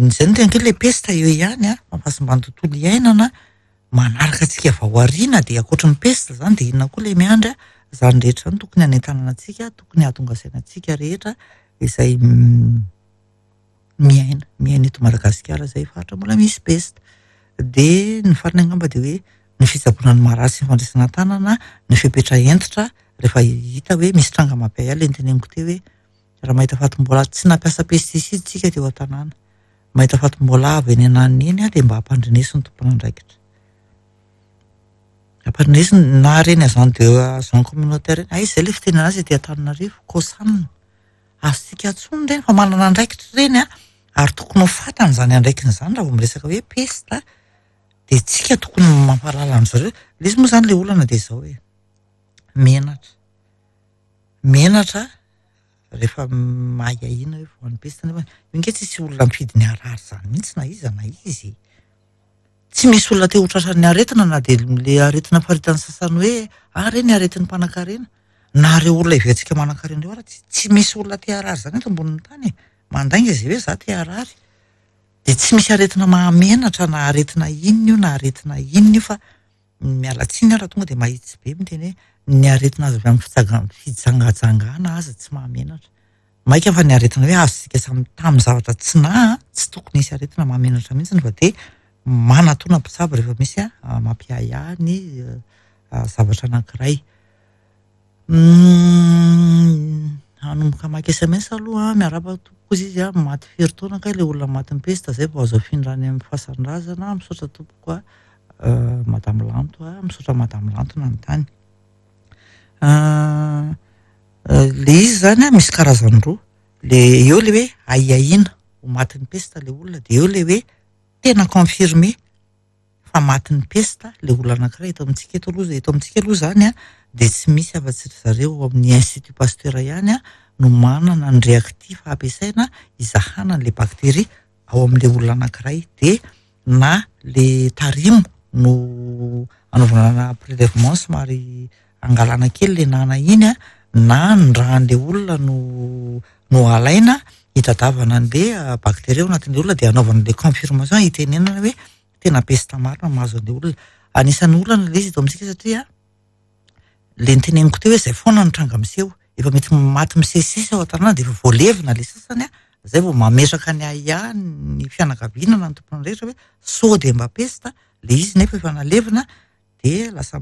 Izay no tena hoe ilay pesta eo ihany a, fahasimban'ny tontolo iainana, manaraka antsika avy ao aoriana dia ankoatry ny pesta izany dia inona koa ilay miandry a. Izany rehetra izany tokony hanentanana antsika, tokony hahatonga saina antsika rehetra izay miaina, miaina eto Madagasikara izay faritra mbola misy pesta. Dia ny farany angamba dia hoe ny fitsaboana ny marary sy ny fandraisana an-tanana, ny fepetra hentitra rehefa hita hoe misy tranga mampiahiahy ilay noteneniko teo hoe raha mahita fatim-boalavo, tsy nampiasa pesticide isika teo an-tanàna, mahita fatim-boalavo eny ananona eny dia mba ampandreneso ny tompon'andraikitra. Ampandreneso na ireny agent de agent communautaire ireny, aiza izay ilay fitenenana azy ety Antananarivo, COSAN. Azontsika antsoina ireny fa manana andraikitra ireny an, ary tokony ho fantany izany andraikiny izany raha vao miresaka hoe pesta dia tsika tokony mampahalala an-dry zareo. Ilay izy moa izany ilay olana dia izao e, menatra, menatra rehefa ahiahiana hoe voan'ny pesta nefa io ange tsisy olona mifidy ny harary izany mihitsy na iza na iza e. Tsy misy olona te ho tratran'ny aretina na dia ilay aretina faritan'ny sasany hoe ah ireny aretin'ny mpanankarena. Na ireo olona heverintsika manankarena ireo ara tsy tsy misy olona te harary izany eto ambonin'ny tany e. Mandainga izay hoe za te harary. Dia tsy misy aretina mahamenatra na aretina inona io na aretina inona io fa miala tsiny aho raha tonga dia mahitsy be miteny hoe ny aretina azo avy amin'ny fitsaga- fijangajangana aza tsy mahamenatra. Maika fa ny aretina hoe azontsika samy tamin'ny zavatra tsy naha, tsy tokony hisy aretina mahamenatra mihitsy fa dia manatona mpitsabo rehefa misy mampiahiahy ny zavatra anankiray. Hanomboka hamaky sms aloha an, miarahaba tompoko hozy izy an, maty firy taona kay ilay olona matin'ny pesta zay vao azo afindra any amin'ny fasan-drazana, misaotra tompoko a, madame Lanto a, misaotra madame Lanto nanontany. Ilay izy izany an, misy karazany roa, le eo ilay hoe ahiahiana ho matin'ny pesta ilay olona dia eo ilay hoe tena confirmé fa matin'ny pesta ilay olona anankiray eto amintsika eto aloha, eto amintsika aloha izany an dia tsy misy afa-tsy ry zareo ao amin'ny institut Pasteur ihany an no manana ny réactif ampiasaina hizahana an'ilay bactérie ao amin'ilay olona anankiray dia na le tarimo no anaovana prélèvement somary angalana kely le nana iny an, na ny ràn'le olona no no alaina hitadiavana an'le bactérie ao anatin'le olona dia anaovana an'le confirmation hitenenana hoe tena pesta marina mahazo an'le olona. Anisan'ny olana le izy eto amintsika satria le noteneniko teo hoe zay foana ny tranga miseho, efa mety maty misesisesy ao an-tanàna dia efa voalevina le sasany an, zay vao mametraka ny ahiahy ny fianakaviana na ny tompon'andraikitra hoe sao dia mba pesta le izy nefa efa nalevina dia lasa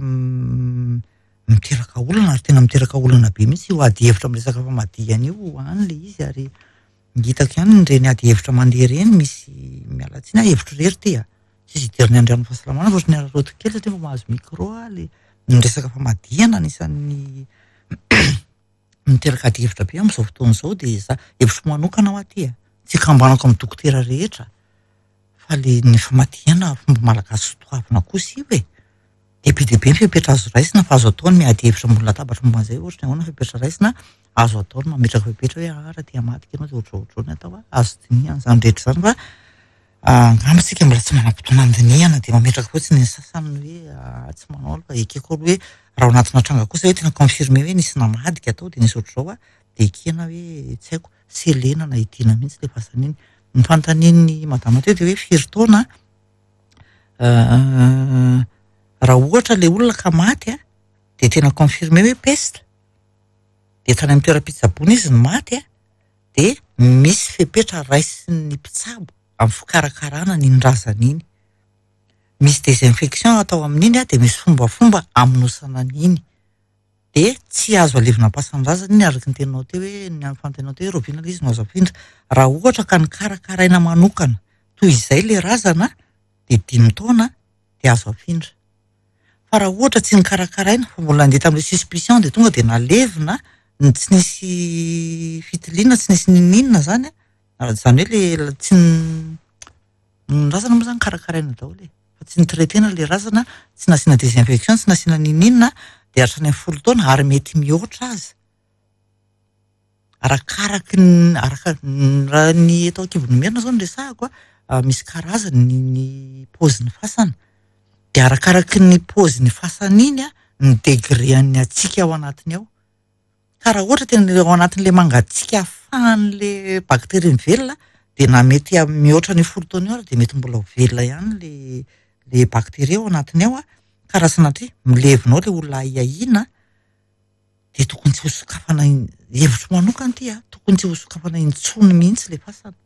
miteraka olana ary tena miteraka olana be mihitsy io ady hevitra amin'ny resaka famadihana io any le izy ary hitako ihany ireny ady hevitra mandeha ireny misy miala tsiny aho hevitro irery ity a, tsisy idiran'ny andrian'ny fahasalamana fa ohatran'ny araraotiko kely satria vao mahazo micro aho le ny resaka famadihana anisan'ny miteraka ady hevitra be amin'izao fotoana izao dia za hevitro manokana ho aty a, tsy ikambanako amin'ny dokotera rehetra fa le ny famadihana fomba malagasy sotoavina kosa io e. Dia be dia be ny fepetra azo raisina fa azo atao ny miady hevitra ambony latabatra momba an'izay ohatra ny ahoana ny fepetra raisina, azo atao ny mametraka fepetra hoe ah raha te hamadika ianao dia ohatr'izao ohatr'izao ny atao, azo dinihana izany rehetra izany fa angamba isika mbola tsy manam-potoana handinihana dia mametraka fotsiny ny sasany hoe ah tsy manao aloha fa ekeko aloha hoe raha ao anatina tranga kosa hoe tena confirmé hoe nisy namadika tao dia nisy ohatr'izao ah dia ekena hoe tsy haiko selena na hidiana mihitsy ilay fasana iny. Ny fanontanian'ny madama teo dia hoe firy taona Raha ohatra ilay olona ka maty a, dia tena confirmé hoe peste, dia tany amin'ny toeram-pitsaboana izy no maty a, dia misy fepetra raisin'ny mpitsabo amin'ny fikarakarana an'iny razana iny. Misy désinfection atao amin'iny a, dia misy fombafomba hamonosana an'iny. Dia tsy azo alevina am-pasan-drazana iny araka ny teninao teo hoe, ny fanontanianao teo hoe rahoviana ilay izy no azo afindra. Raha ohatra ka nokarakaraina manokana toy izay ilay razana dia dimy taona dia azo afindra. Fa raha ohatra tsy nokarakaraina fa mbola nandeha tamin'ilay suspicion dia tonga dia nalevina, ny tsy nisy fitiliana, tsy nisy n'inon'inona izany an, izany hoe ilay tsy ny razana moa izany karakaraina daholo e, fa tsy ni-traiter-na ilay razana, tsy nasiana désinfection, tsy nasiana n'inon'inona dia hatrany amin'ny folo taona ary mety mihoatra aza. Arakaraky ny araka raha ny eto Ankivonimena izao no resahako a, misy karazany ny ny paozin'ny fasana. Dia arakaraky ny paozin'ny fasana iny a, ny degré an'ny hatsiaka ao anatiny ao. Ka raha ohatra tena ao anatin'ilay mangatsiaka ahafahan'ilay bakteria mivelona dia na mety mihoatra an'io folo taona io ary dia mety mbola ho velona ihany ilay ilay bakteria ao anatiny ao a. Ka raha sanatria milevina ao ilay olona ahiahiana dia tokony tsy hosokafana, hevitro manokana ity a, tokony tsy hosokafana intsony mihitsy ilay fasana.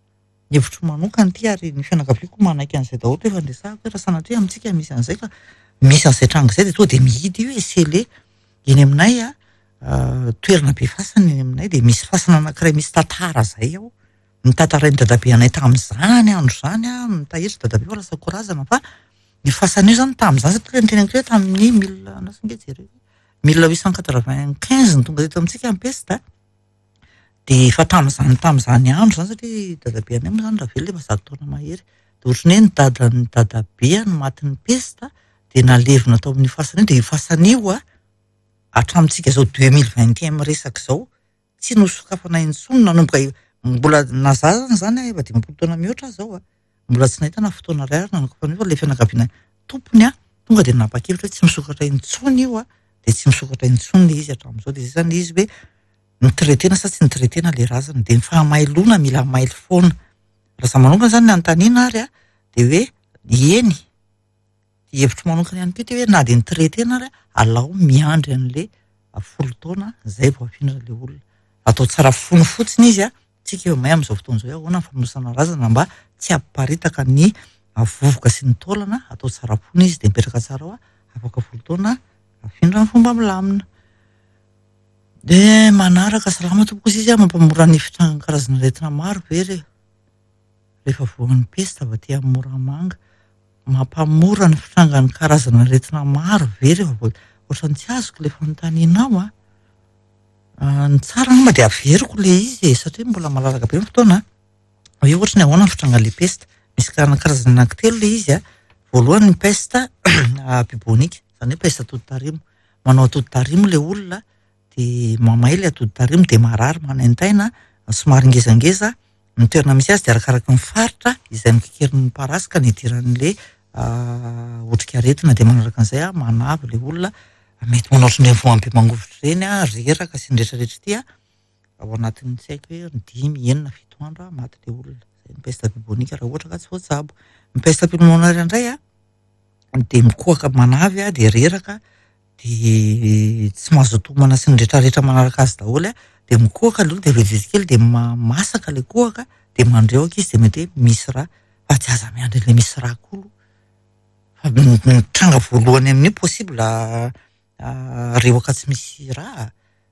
Ny hevitro manokana ity ary ny fianakaviako manaiky an'izay daholo rehefa niresahako hoe raha sanatria amintsika misy an'izay ka misy an'izay tranga izay dia tonga dia mihidy io e, scellé. Eny aminay a, toerana be fasana eny aminay dia misy fasana anankiray misy tantara izay ao. Notantarain'i dadabe anay tamin'izany andro izany a, mitahiry dadabe fa lasa korazana fa io fasana io izany tamin'izany satria ny teneniko hoe tamin'ny mille, andraso ange jereko, mille huit cent quatre-vingt-quinze no tonga teto amintsika ny peste. Dia efa tamin'izany tamin'izany andro izany satria dadabe anay moa izany raha velona efa 100 taona mahery. Dia ohatran'ny hoe ny dadan'ny dadabe no matin'ny pesta dia nalevina tao amin'io fasana io. Dia io fasana io a, hatramintsika izao 2021 miresaka izao, tsy nosokafana intsony nanomboka mbola na za zany izany a, efa 50 taona mihoatra aho izao a, mbola tsy nahita na fotoana iray ary nanokafana io fa ilay fianakaviana tompony a, tonga dia nanapa-kevitra hoe tsy misokatra intsony io a, dia tsy misokatra intsony ilay izy hatramin'izao. Dia izay izany ilay izy hoe Ni-traiter-na sa tsy ni-traiter-na ilay razana? Dia ny fahamailona mila mailo foana. Raha izaho manokana izany ny anontaniana ary an, dia hoe eny, ny hevitro manokana ihany koa ity hoe na dia ni-traiter-na ary alao miandry an'ilay folo taona izay vao afindra ilay olona. Atao tsara fono fotsiny izy an, tsika eo may amin'izao fotoana izao hoe ahoana ny famonosana razana mba tsy hampiparitaka ny vovoka sy ny taolana, atao tsara fono izy dia mipetraka tsara ao an, afaka folo taona afindra amin'ny fomba milamina. Dia manaraka salama tompoko izy izy mampamora ny fitrangan'ny karazana aretina maro ve re rehefa voan'ny pesta avy aty amin'ny Moramanga? Mampamora ny fitrangan'ny karazana aretina maro ve rehefa voa ohatran'ny tsy azoko ilay fanontanianao a. Ah, ny tsara angamba dia averiko ilay izy e, satria mbola malalaka be ny fotoana. Hoe ohatry ny ahoana ny fitrangan'ilay pesta. Misy karazana anankitelo ilay izy a. Voalohany ny peste bubonique, izany hoe peste atoditarimo. Manao atoditarimo ilay olona dia mamay ilay atoditarimo dia marary, manaintaina, somary ngezangeza. Ny toerana misy azy dia arakaraky ny faritra izay mikikerin'ny parasy ka nidiran'ilay otrikaretina. Dia manaraka an'izay manavy ilay olona, mety manao ohatran'ireny voambe mangovitra ireny, reraka sy ny rehetrarehetra ity. Ao anatin'ny tsy haiko hoe dimy, enina, fito andro maty ilay olona. Izay ny peste bubonique raha ohatra ka tsy voatsabo. Ny peste pulmonaire indray dia mikohaka manavy dia reraka dia tsy mazoto homana sy ny rehetrarehetra manaraka azy daholo dia mikohaka aloha dia vetivety kely dia masaka ilay kohaka dia mandrehoka izy dia mety hoe misy rà fa tsy aza miandry ilay misy rà koa aloha fa ny tranga voalohany amin'io possible rehoka tsy misy rà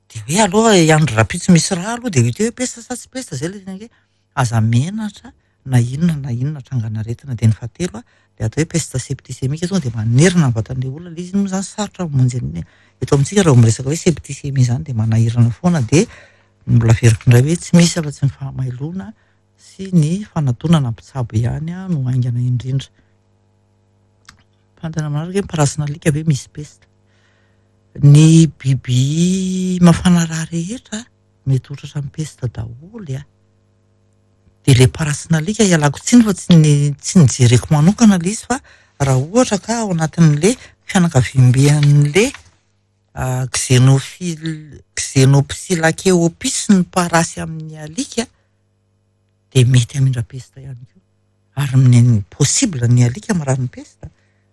dia hoe aloha hiandry rahampitso misy rà aloha dia ho hita eo hoe pesta sa tsy pesta izay ilay tena hoe aza menatra na inona na inona trangan'aretina. Dia ny fahatelo dia atao hoe peste septicémique tonga dia manerana ny vatan'ilay olona ilay izy moa izany sarotra mamonjy an'iny. Eto amintsika raha vao miresaka hoe septicémie izany dia manahirana foana dia mbola averiko indray hoe tsy misy afa-tsy ny fahamailoana sy ny fanatonana mpitsabo ihany no haingana indrindra. fanontaniana manaraka hoe parasin'alika ve misy pesta? Ny biby mafana rà rehetra mety ho tratran'ny pesta daholo a. Dia ilay parasin'alika ialako tsiny fa tsy ny tsy nijereko manokana ilay izy fa raha ohatra ka ao anatin'ilay fianakaviambe an'ilay xenophile xenopsilakeopis ny parasy amin'ny alika dia mety hamindra pesta ihany koa. Ary ny possible ny alika marary ny pesta.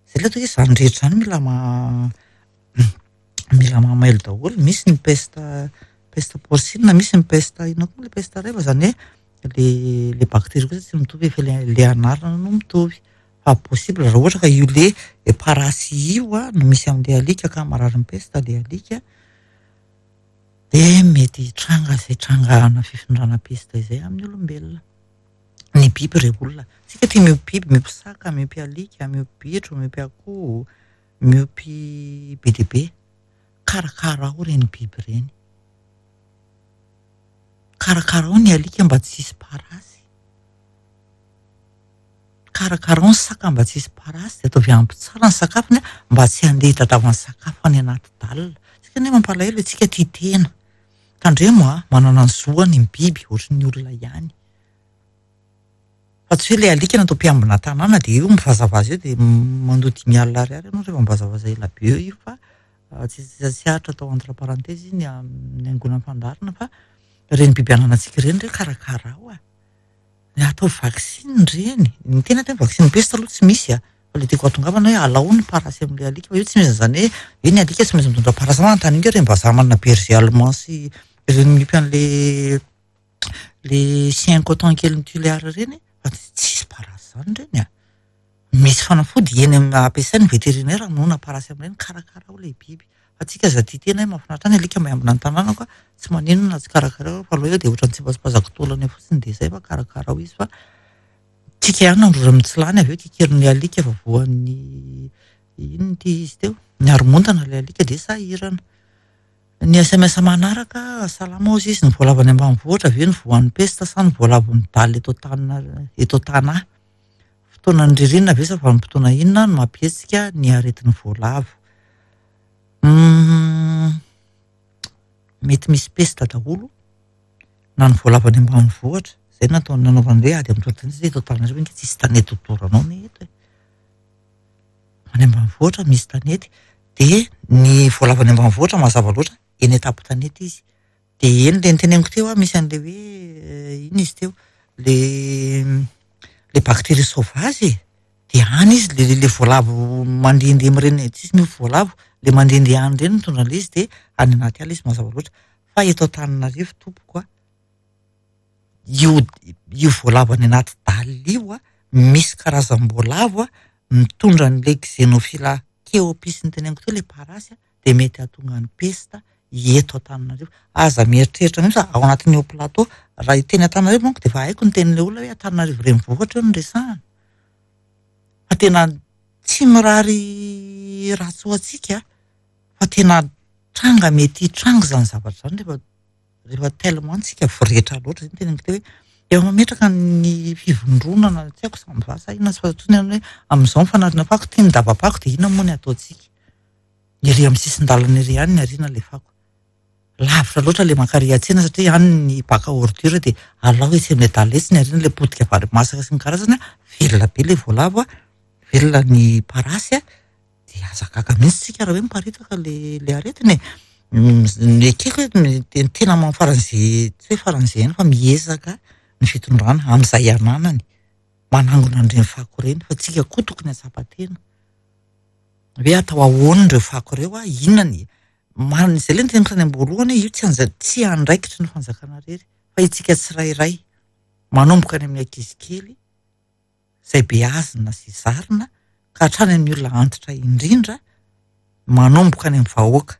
Izay ilay atao hoe izany rehetra izany mila mila mahamailo daholo. Misy ny peste peste porcine, misy ny peste inona koa ilay peste iray fa izany hoe le le bactérie kosa tsy mitovy fa le le anarana no mitovy. Fa possible raha ohatra ka io le parasy io no misy amin'ilay alika ka marary ny peste ilay alika dia mety hitranga izay trangana fifindrana peste izay amin'ny olombelona. Ny biby re olona. Tsika tia miompy biby, miompy saka, miompy alika, miompy bitro, miompy akoho, miompy be dia be. Karakarao ireny biby ireny. Karakarao ny alika mba tsy hisy parasy. Karakarao ny saka mba tsy hisy parasy dia ataovy ampy tsara ny sakafony mba tsy handeha hitadiavany sakafo any anaty dalle. Tsika anie mampalahelo e, tsika tia tena. Tandremo a, manana ny zoany ny biby ohatry ny olona ihany. Fa tsy hoe ilay alika natao mpiambina tanàna dia io mivazavaza eo dia mandoa 50 ariary ianao rehefa mivazavaza ela be eo io fa tsy tsy aritra atao entre parenthèse iny amin'ny angonan'ny fandaharana fa ireny biby ananantsika ireny re karakarao a. Ny atao vaksiny ireny, ny tena atao hoe vaksiny peste aloha tsy misy a. Fa ilay tiako hahatongavana hoe alao ny parasy amin'ilay alika fa io tsy misy an'izany hoe hoe ny alika tsy maintsy mitondra parasy manontany io ireny vazaha manana berger allemand sy ireny miompy an'ilay le chien coton kely mituléar ireny fa tsisy parasy izany ireny a. Misy fanafody eny amin'ny ampiasain'ny vétérinaire hamonoana parasy amin'ireny, karakarao ilay biby. Fa tsika aza tia tena hoe mahafinaritra ny alika miambina ny tanànako a, tsy maninona na tsy karakarao fa aleo eo dia ohatran'ny tsipatsipazako taolana eo fotsiny dia izay fa karakarao izy fa tsika ihany no androra mitsilany avy eo kikerin'ny alika fa voan'ny inona ity izy teo, ny haromontana ilay alika dia sahirana. Ny sms manaraka, salama hozy izy, ny voalavo any ambanivohitra ve no voan'ny pesta sa ny voalavo midaly eto an-tanina eto an-tanà? Fotoanan'ny ririnina ve sa vanim-potoana inona no mampihetsika ny aretin'ny voalavo? Mety misy pesta daholo na ny voalavo any ambanivohitra, izay no natao nanaovana hoe ady amin'ny tontolo eto Antananarivo ange tsisy tanety hodoranao anie eto e. Any ambanivohitra misy tanety dia ny voalavo any ambanivohitra mazava loatra eny an-tampon-tanety izy. Dia eny ilay noteneniko teo aho misy an'ilay hoe inona izy teo le le bactérie sauvage e. Dia any izy le le voalavo mandehandeha amin'ireny tsisy miompy voalavo, le mandehandeha any ireny mitondra an'ilay izy dia any anaty ala izy mazava loatra. Fa eto Antananarivo tompoko a, io io voalavo any anaty dalle io a, misy karazam-boalavo a mitondra an'ilay xenophila keopis noteneniko teo ilay parasy a, dia mety hahatonga ny pesta eto Antananarivo. Aza mieritreritra mihitsy fa ao anatin'ny haut plateau, raha hiteny Antananarivo manko dia efa haiko ny tenin'ilay olona hoe Antananarivo renivohitra io no resahana. Fa tena tsy mirary ratsy ho antsika fa tena tranga mety hitranga izany zavatra izany rehefa rehefa tellement tsika voretra loatra, izay no teneniko teo hoe efa mametraka ny fivondronana tsy haiko samy va sa inona tsy fantatro intsony hoe amin'izao ny fanariana fako ity ny daba-pako dia inona moa ny ataontsika? Ery amin'ny sisin-dalana ery ihany ny ariana ilay fako. Lavitra loatra ilay mankary an-tsena satria any ny bac à ordure dia alao etsy amin'ilay dalle etsy ny ariana ilay potika vary masaka sy ny karazany, velona be ilay voalavo, velona ny parasy dia aza gaga mihitsy tsika raha hoe miparitaka ilay ilay aretina e. Ny ekeko hoe ny tena faran'izay tsy hoe faran'izay ihany fa miezaka ny fitondrana amin'izay ananany manangona an'ireny fako ireny fa tsika koa tokony hahatsapa tena hoe atao ahoana ireo fako ireo a, inona ny man- izay ilay noteneniko tany am-boalohany hoe io tsy anja- tsy andraikitry ny fanjakana irery fa isika tsirairay manomboka any amin'ny ankizy kely izay beazina sy zarina ka hatrany amin'ny olona antitra indrindra manomboka any amin'ny vahoaka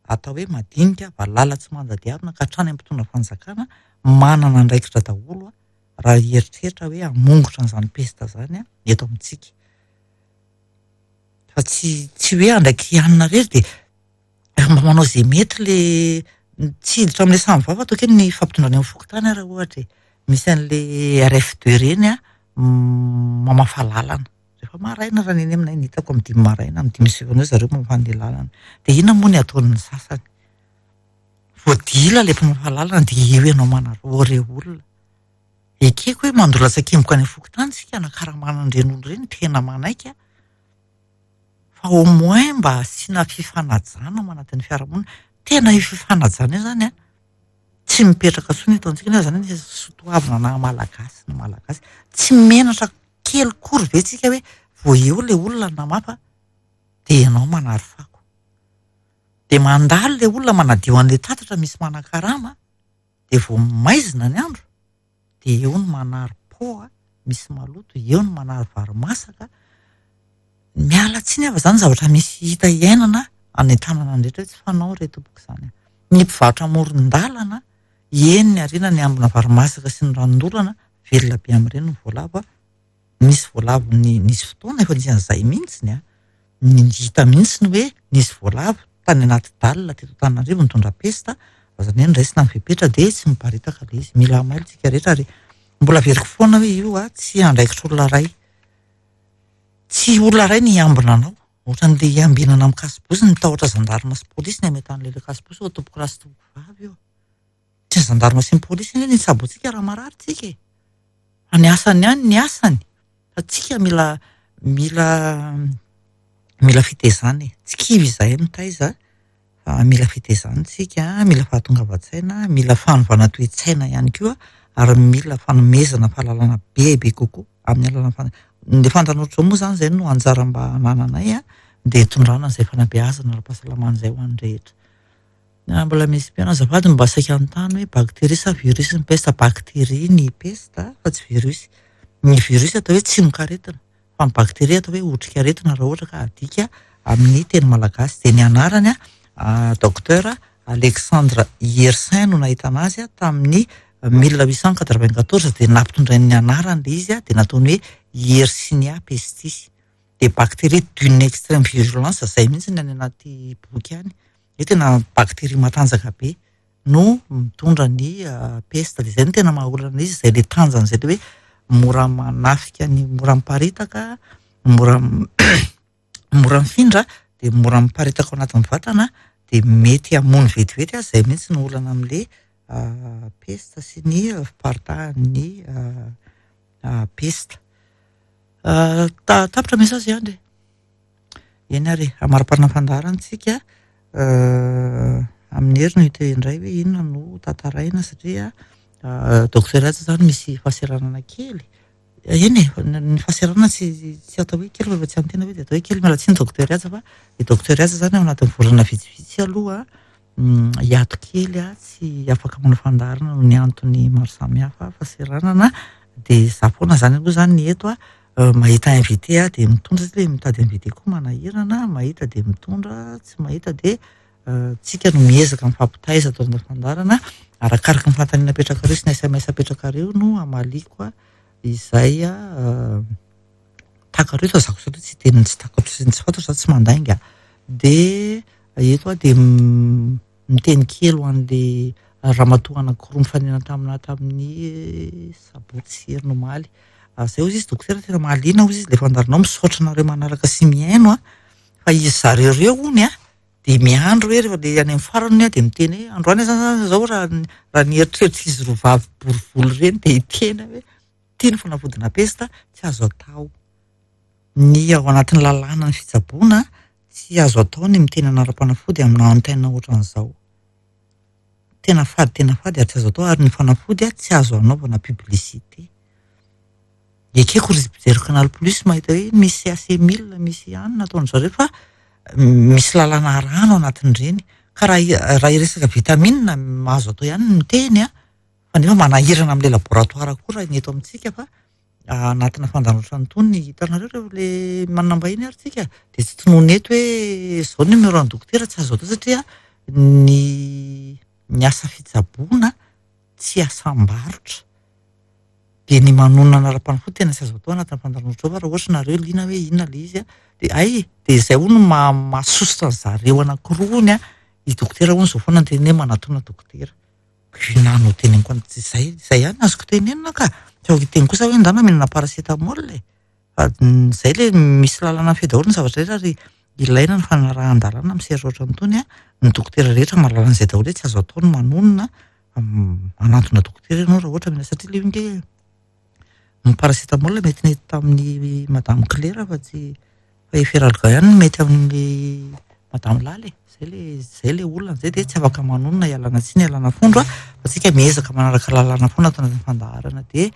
atao hoe madinika, valala tsy mandadiarina ka hatrany amin'ny mpitondra fanjakana manana andraikitra daholo raha hieritreritra hoe hamongotra an'izany pesta izany eto amintsika. Fa tsy tsy hoe andraikitra ianona irery dia Raha mba manao izay mety le tsy hiditra amin'ilay samy vava ataoko hoe ny fampitondrana eo amin'ny fokontany ary ohatra e. Misy an'le RF2 ireny a mamafa lalana. Rehefa Efa maraina raha ny eny aminay ny hitako amin'ny 5 maraina, amin'ny 5:30 eo zareo mamafa an'ilay lalana. Dia inona moa ny ataon'ny sasany? Vao dila ilay mpamafa lalana dia eo ianao manarao ireo olona. Ekeko hoe mandoa latsakemboka any amin'ny fokontany isika hanakaramana an'ireny olona ireny, tena manaiky aho. Fa au moins mba asiana fifanajana ao anatin'ny fiarahamonina. Tena io fifanajana io izany an, tsy mipetraka intsony eto amintsika nefa izany anisan'ny soatoavina naha malagasy ny malagasy. Tsy menatra kely kory ve tsika hoe vao eo ilay olona namafa dia ianao manary fako. Dia mandalo ilay olona manadio an'ilay tatatra misy manakarama dia vao maizina ny andro dia eo ny manary poa misy maloto, eo ny manary vary masaka. Miala tsiny aho fa izany zavatra misy hita iainana any an-tanana rehetra hoe tsy fanao re tompoko izany. Ny mpivarotra amoron-dalana, eny ny harena ny ambina vary masaka sy ny ranondolana, velona be amin'ireny ny voalavo. Nisy voalavo ny nisy fotoana efa nisy an'izay mihitsy an. Ny hita mihitsy ny hoe nisy voalavo tany anaty dalle teto Antananarivo nitondra pesta, fa izany hoe noraisina ny fepetra dia tsy miparitaka ilay izy. Mila mailo tsika rehetra ary mbola averiko foana hoe io tsy andraikitr'olona iray. Tsy olona iray ny hiambina anao. Ohatran'ilay hiambinana amin'ny kasibosy, ny tahotra zandarma sy polisy ny hametrahan'ilay ilay kasibosy eo tompoko lahy sy tompoko vavy io. Tsy ny zandarma sy ny polisy anie ny hitsabo antsika raha marary tsika e. Fa ny asany ihany ny asany. Fa tsika mila mila mila fitaizana e. Tsy kivy izahay mitaiza fa mila fitaizana tsika, mila fahatongavan-tsaina, mila fanovana toe-tsaina ihany koa ary mila fanomezana fahalalana bebe kokoa amin'ny alalan'ny fan-, ny fandaharana ohatr'izao moa izany izay no anjara mba anananay an, dia hitondrana an'izay fanabeazana ara-pahasalamana izay ho an'ny rehetra. Mbola misy mpihaino azafady mba saika hanontany hoe bactérie sa virus ny peste? Bactérie ny peste fa tsy virus. Ny virus atao hoe tsimokaretina fa ny bactérie atao hoe otrikaretina raha ohatra ka adika amin'ny teny malagasy. Dia ny anarany docteur Alexandre Yersin no nahitana azy tamin'ny 1894 dia nampitondrainy ny anarany ilay izy dia nataony hoe Yersinia pestis. Dia bactérie d'une extrême virulence izay mihitsy ny any anaty boky any. Io tena bactérie matanjaka be no mitondra ny peste. Dia izay no tena maha olana izy, izay ilay tanjany izay ilay hoe mora manafika ny mora miparitaka, mora mora mifindra, dia mora miparitaka ao anatin'ny vatana, dia mety hamono vetivety aza, izay mihitsy no olana amin'ilay peste sy ny fiparitahan'ny peste. Tapitra message Andry e. Eny ary e, hamariparina fandaharana isika amin'ny hery no hita indray hoe inona no tantaraina satria docteur Haja izany misy fahasahiranana kely. Eny e, ny fahasahiranana tsy tsy atao hoe kely fa rehefa tsy an'ny tena ve dia atao hoe kely. Miala tsiny docteur Haja fa i docteur Haja izany ao anatin'ny volana vitsivitsy aloha hiato kely aho, tsy afaka manao fandaharana noho ny antony maro samihafa, fahasahiranana. Dia izaho foana izany aloha izany ny eto mahita invité aho dia mitondra satria mitady invité koa manahirana, mahita dia mitondra, tsy mahita dia tsika no miezaka mifampitaiza ato amin'ny fandaharana, arakaraka ny fanontaniana apetrakareo sy ny SMS apetrakareo no hamaliako izay takareo fa za kosa aloha tsy hiteny ny tsy takatro sy ny tsy fantatro, za tsy mandainga. Dia eto aho dia miteny kely ho an'ilay ramatoa anankiroa nifanena tamina tamin'ny sabotsy heriny omaly. Zay hozy izy dokotera tena mahaliana hozy izy ilay fandaharanao, misaotra anareo manaraka sy mihaino an, fa izy zareo ireo hono an dia miandry hoe rehefa ilay any amin'ny farany hono dia miteny hoe androany aho zany zao raha raha ny eritreritr'izy roa vavy bory volo ireny dia hiteny hoe ity ny fanafodina pesta tsy azo atao. Ny ao anatin'ny lalàna ny fitsaboana tsy azo atao ny miteny anaram-panafody amina antenne ohatran'izao. Tena fady tena fady ary tsy azo atao ary ny fanafody tsy azo anaovana publicité. Ekeko ry mpijery Canal Plus mahita hoe misy AC mille, misy anona ataon-dry zareo fa misy lalàna arahana ao anatin'ireny. Ka raha raha hiresaka vitamine azo atao ihany ny miteny an, fa nefa manahirana amin'ilay laboratoire koa raha ny eto amintsika fa anatina fandaharana ohatran'itony hitanareo ireo le manam-bahiny ary tsika dia tsy tononina eto hoe izao numéro an'ny dokotera tsy azo atao satria ny ny asa fitsaboana tsy asam-barotra dia ny manonona anaram-panafody tena tsy azo atao anatin'ny fandaharana ohatr'izao fa raha ohatra nareo liana hoe inona ilay izy dia hay dia izay hono mahasosotra ny zareo anankiroa hono an, i dokotera hono izao foana no teneniny hoe manatona dokotera. Inona no teneniko an, izay, izay ihany no azoko tenenina ka. Tsy afaka hiteny kosa hoe ndana mihinana paracétamol e. Fa izay ilay misy lalana mifehy daholo ny zavatra rehetra ary ilaina ny fanarahan-dalàna amin'ny sehatra ohatran'itony an, ny dokotera rehetra mahalala an'izay daholo hoe tsy azo atao ny manonona, manantona dokotera ianao raha ohatra mila satria ilay io ange ny paracétamol mety nety tamin'ny madame Claire fa tsy fa Efferalgan ihany no mety amin'ny madame Lala e, zay le zay le olana zay dia tsy afaka manonona ialana tsiny ialana fondro an, fa tsika miezaka manaraka lalàna foana ato anatin'ny fandaharana dia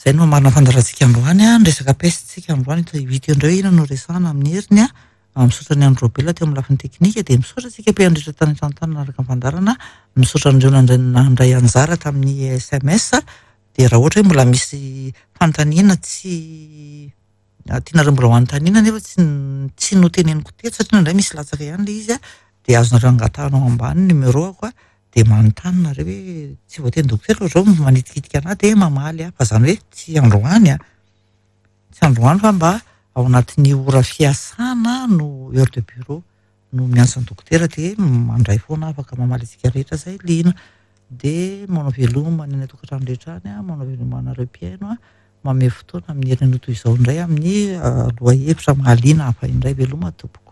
Izay no hamarana ny fandaharantsika androany an, resaka peste tsika androany, hita eo indray hoe inona no resahana amin'ny heriny an, misaotra an'i Andry Raobelina teo amin'ny lafiny teknika dia misaotra antsika mpihaino rehetra tany an-trano tany nanaraka ny fandaharana, misaotra an'ireo nandray nandray anjara tamin'ny sms dia raha ohatra hoe mbola misy fanontaniana tsy tianareo mbola ho anontaniana nefa tsy tsy noteneniko teto satria indraindray misy latsaka ihany ilay izy an, dia azonareo angatahana ao ambany ny numéro-ako an, dia manontany nareo hoe tsy voateny dokotera fa zao manitikitika anah dia mamaly aho fa zany hoe tsy androany an, tsy androany fa mba ao anatin'ny ora fiasana no heure de bureau no miantso ny dokotera dia mandray foana afaka mamaly antsika rehetra zay liana dia manao veloma ny any an-tokantrano rehetra any an, manao veloma anareo mpihaino an, manome fotoana amin'ny herinandro toy izao indray amin'ny lohahevitra mahaliana hafa indray, veloma tompoko.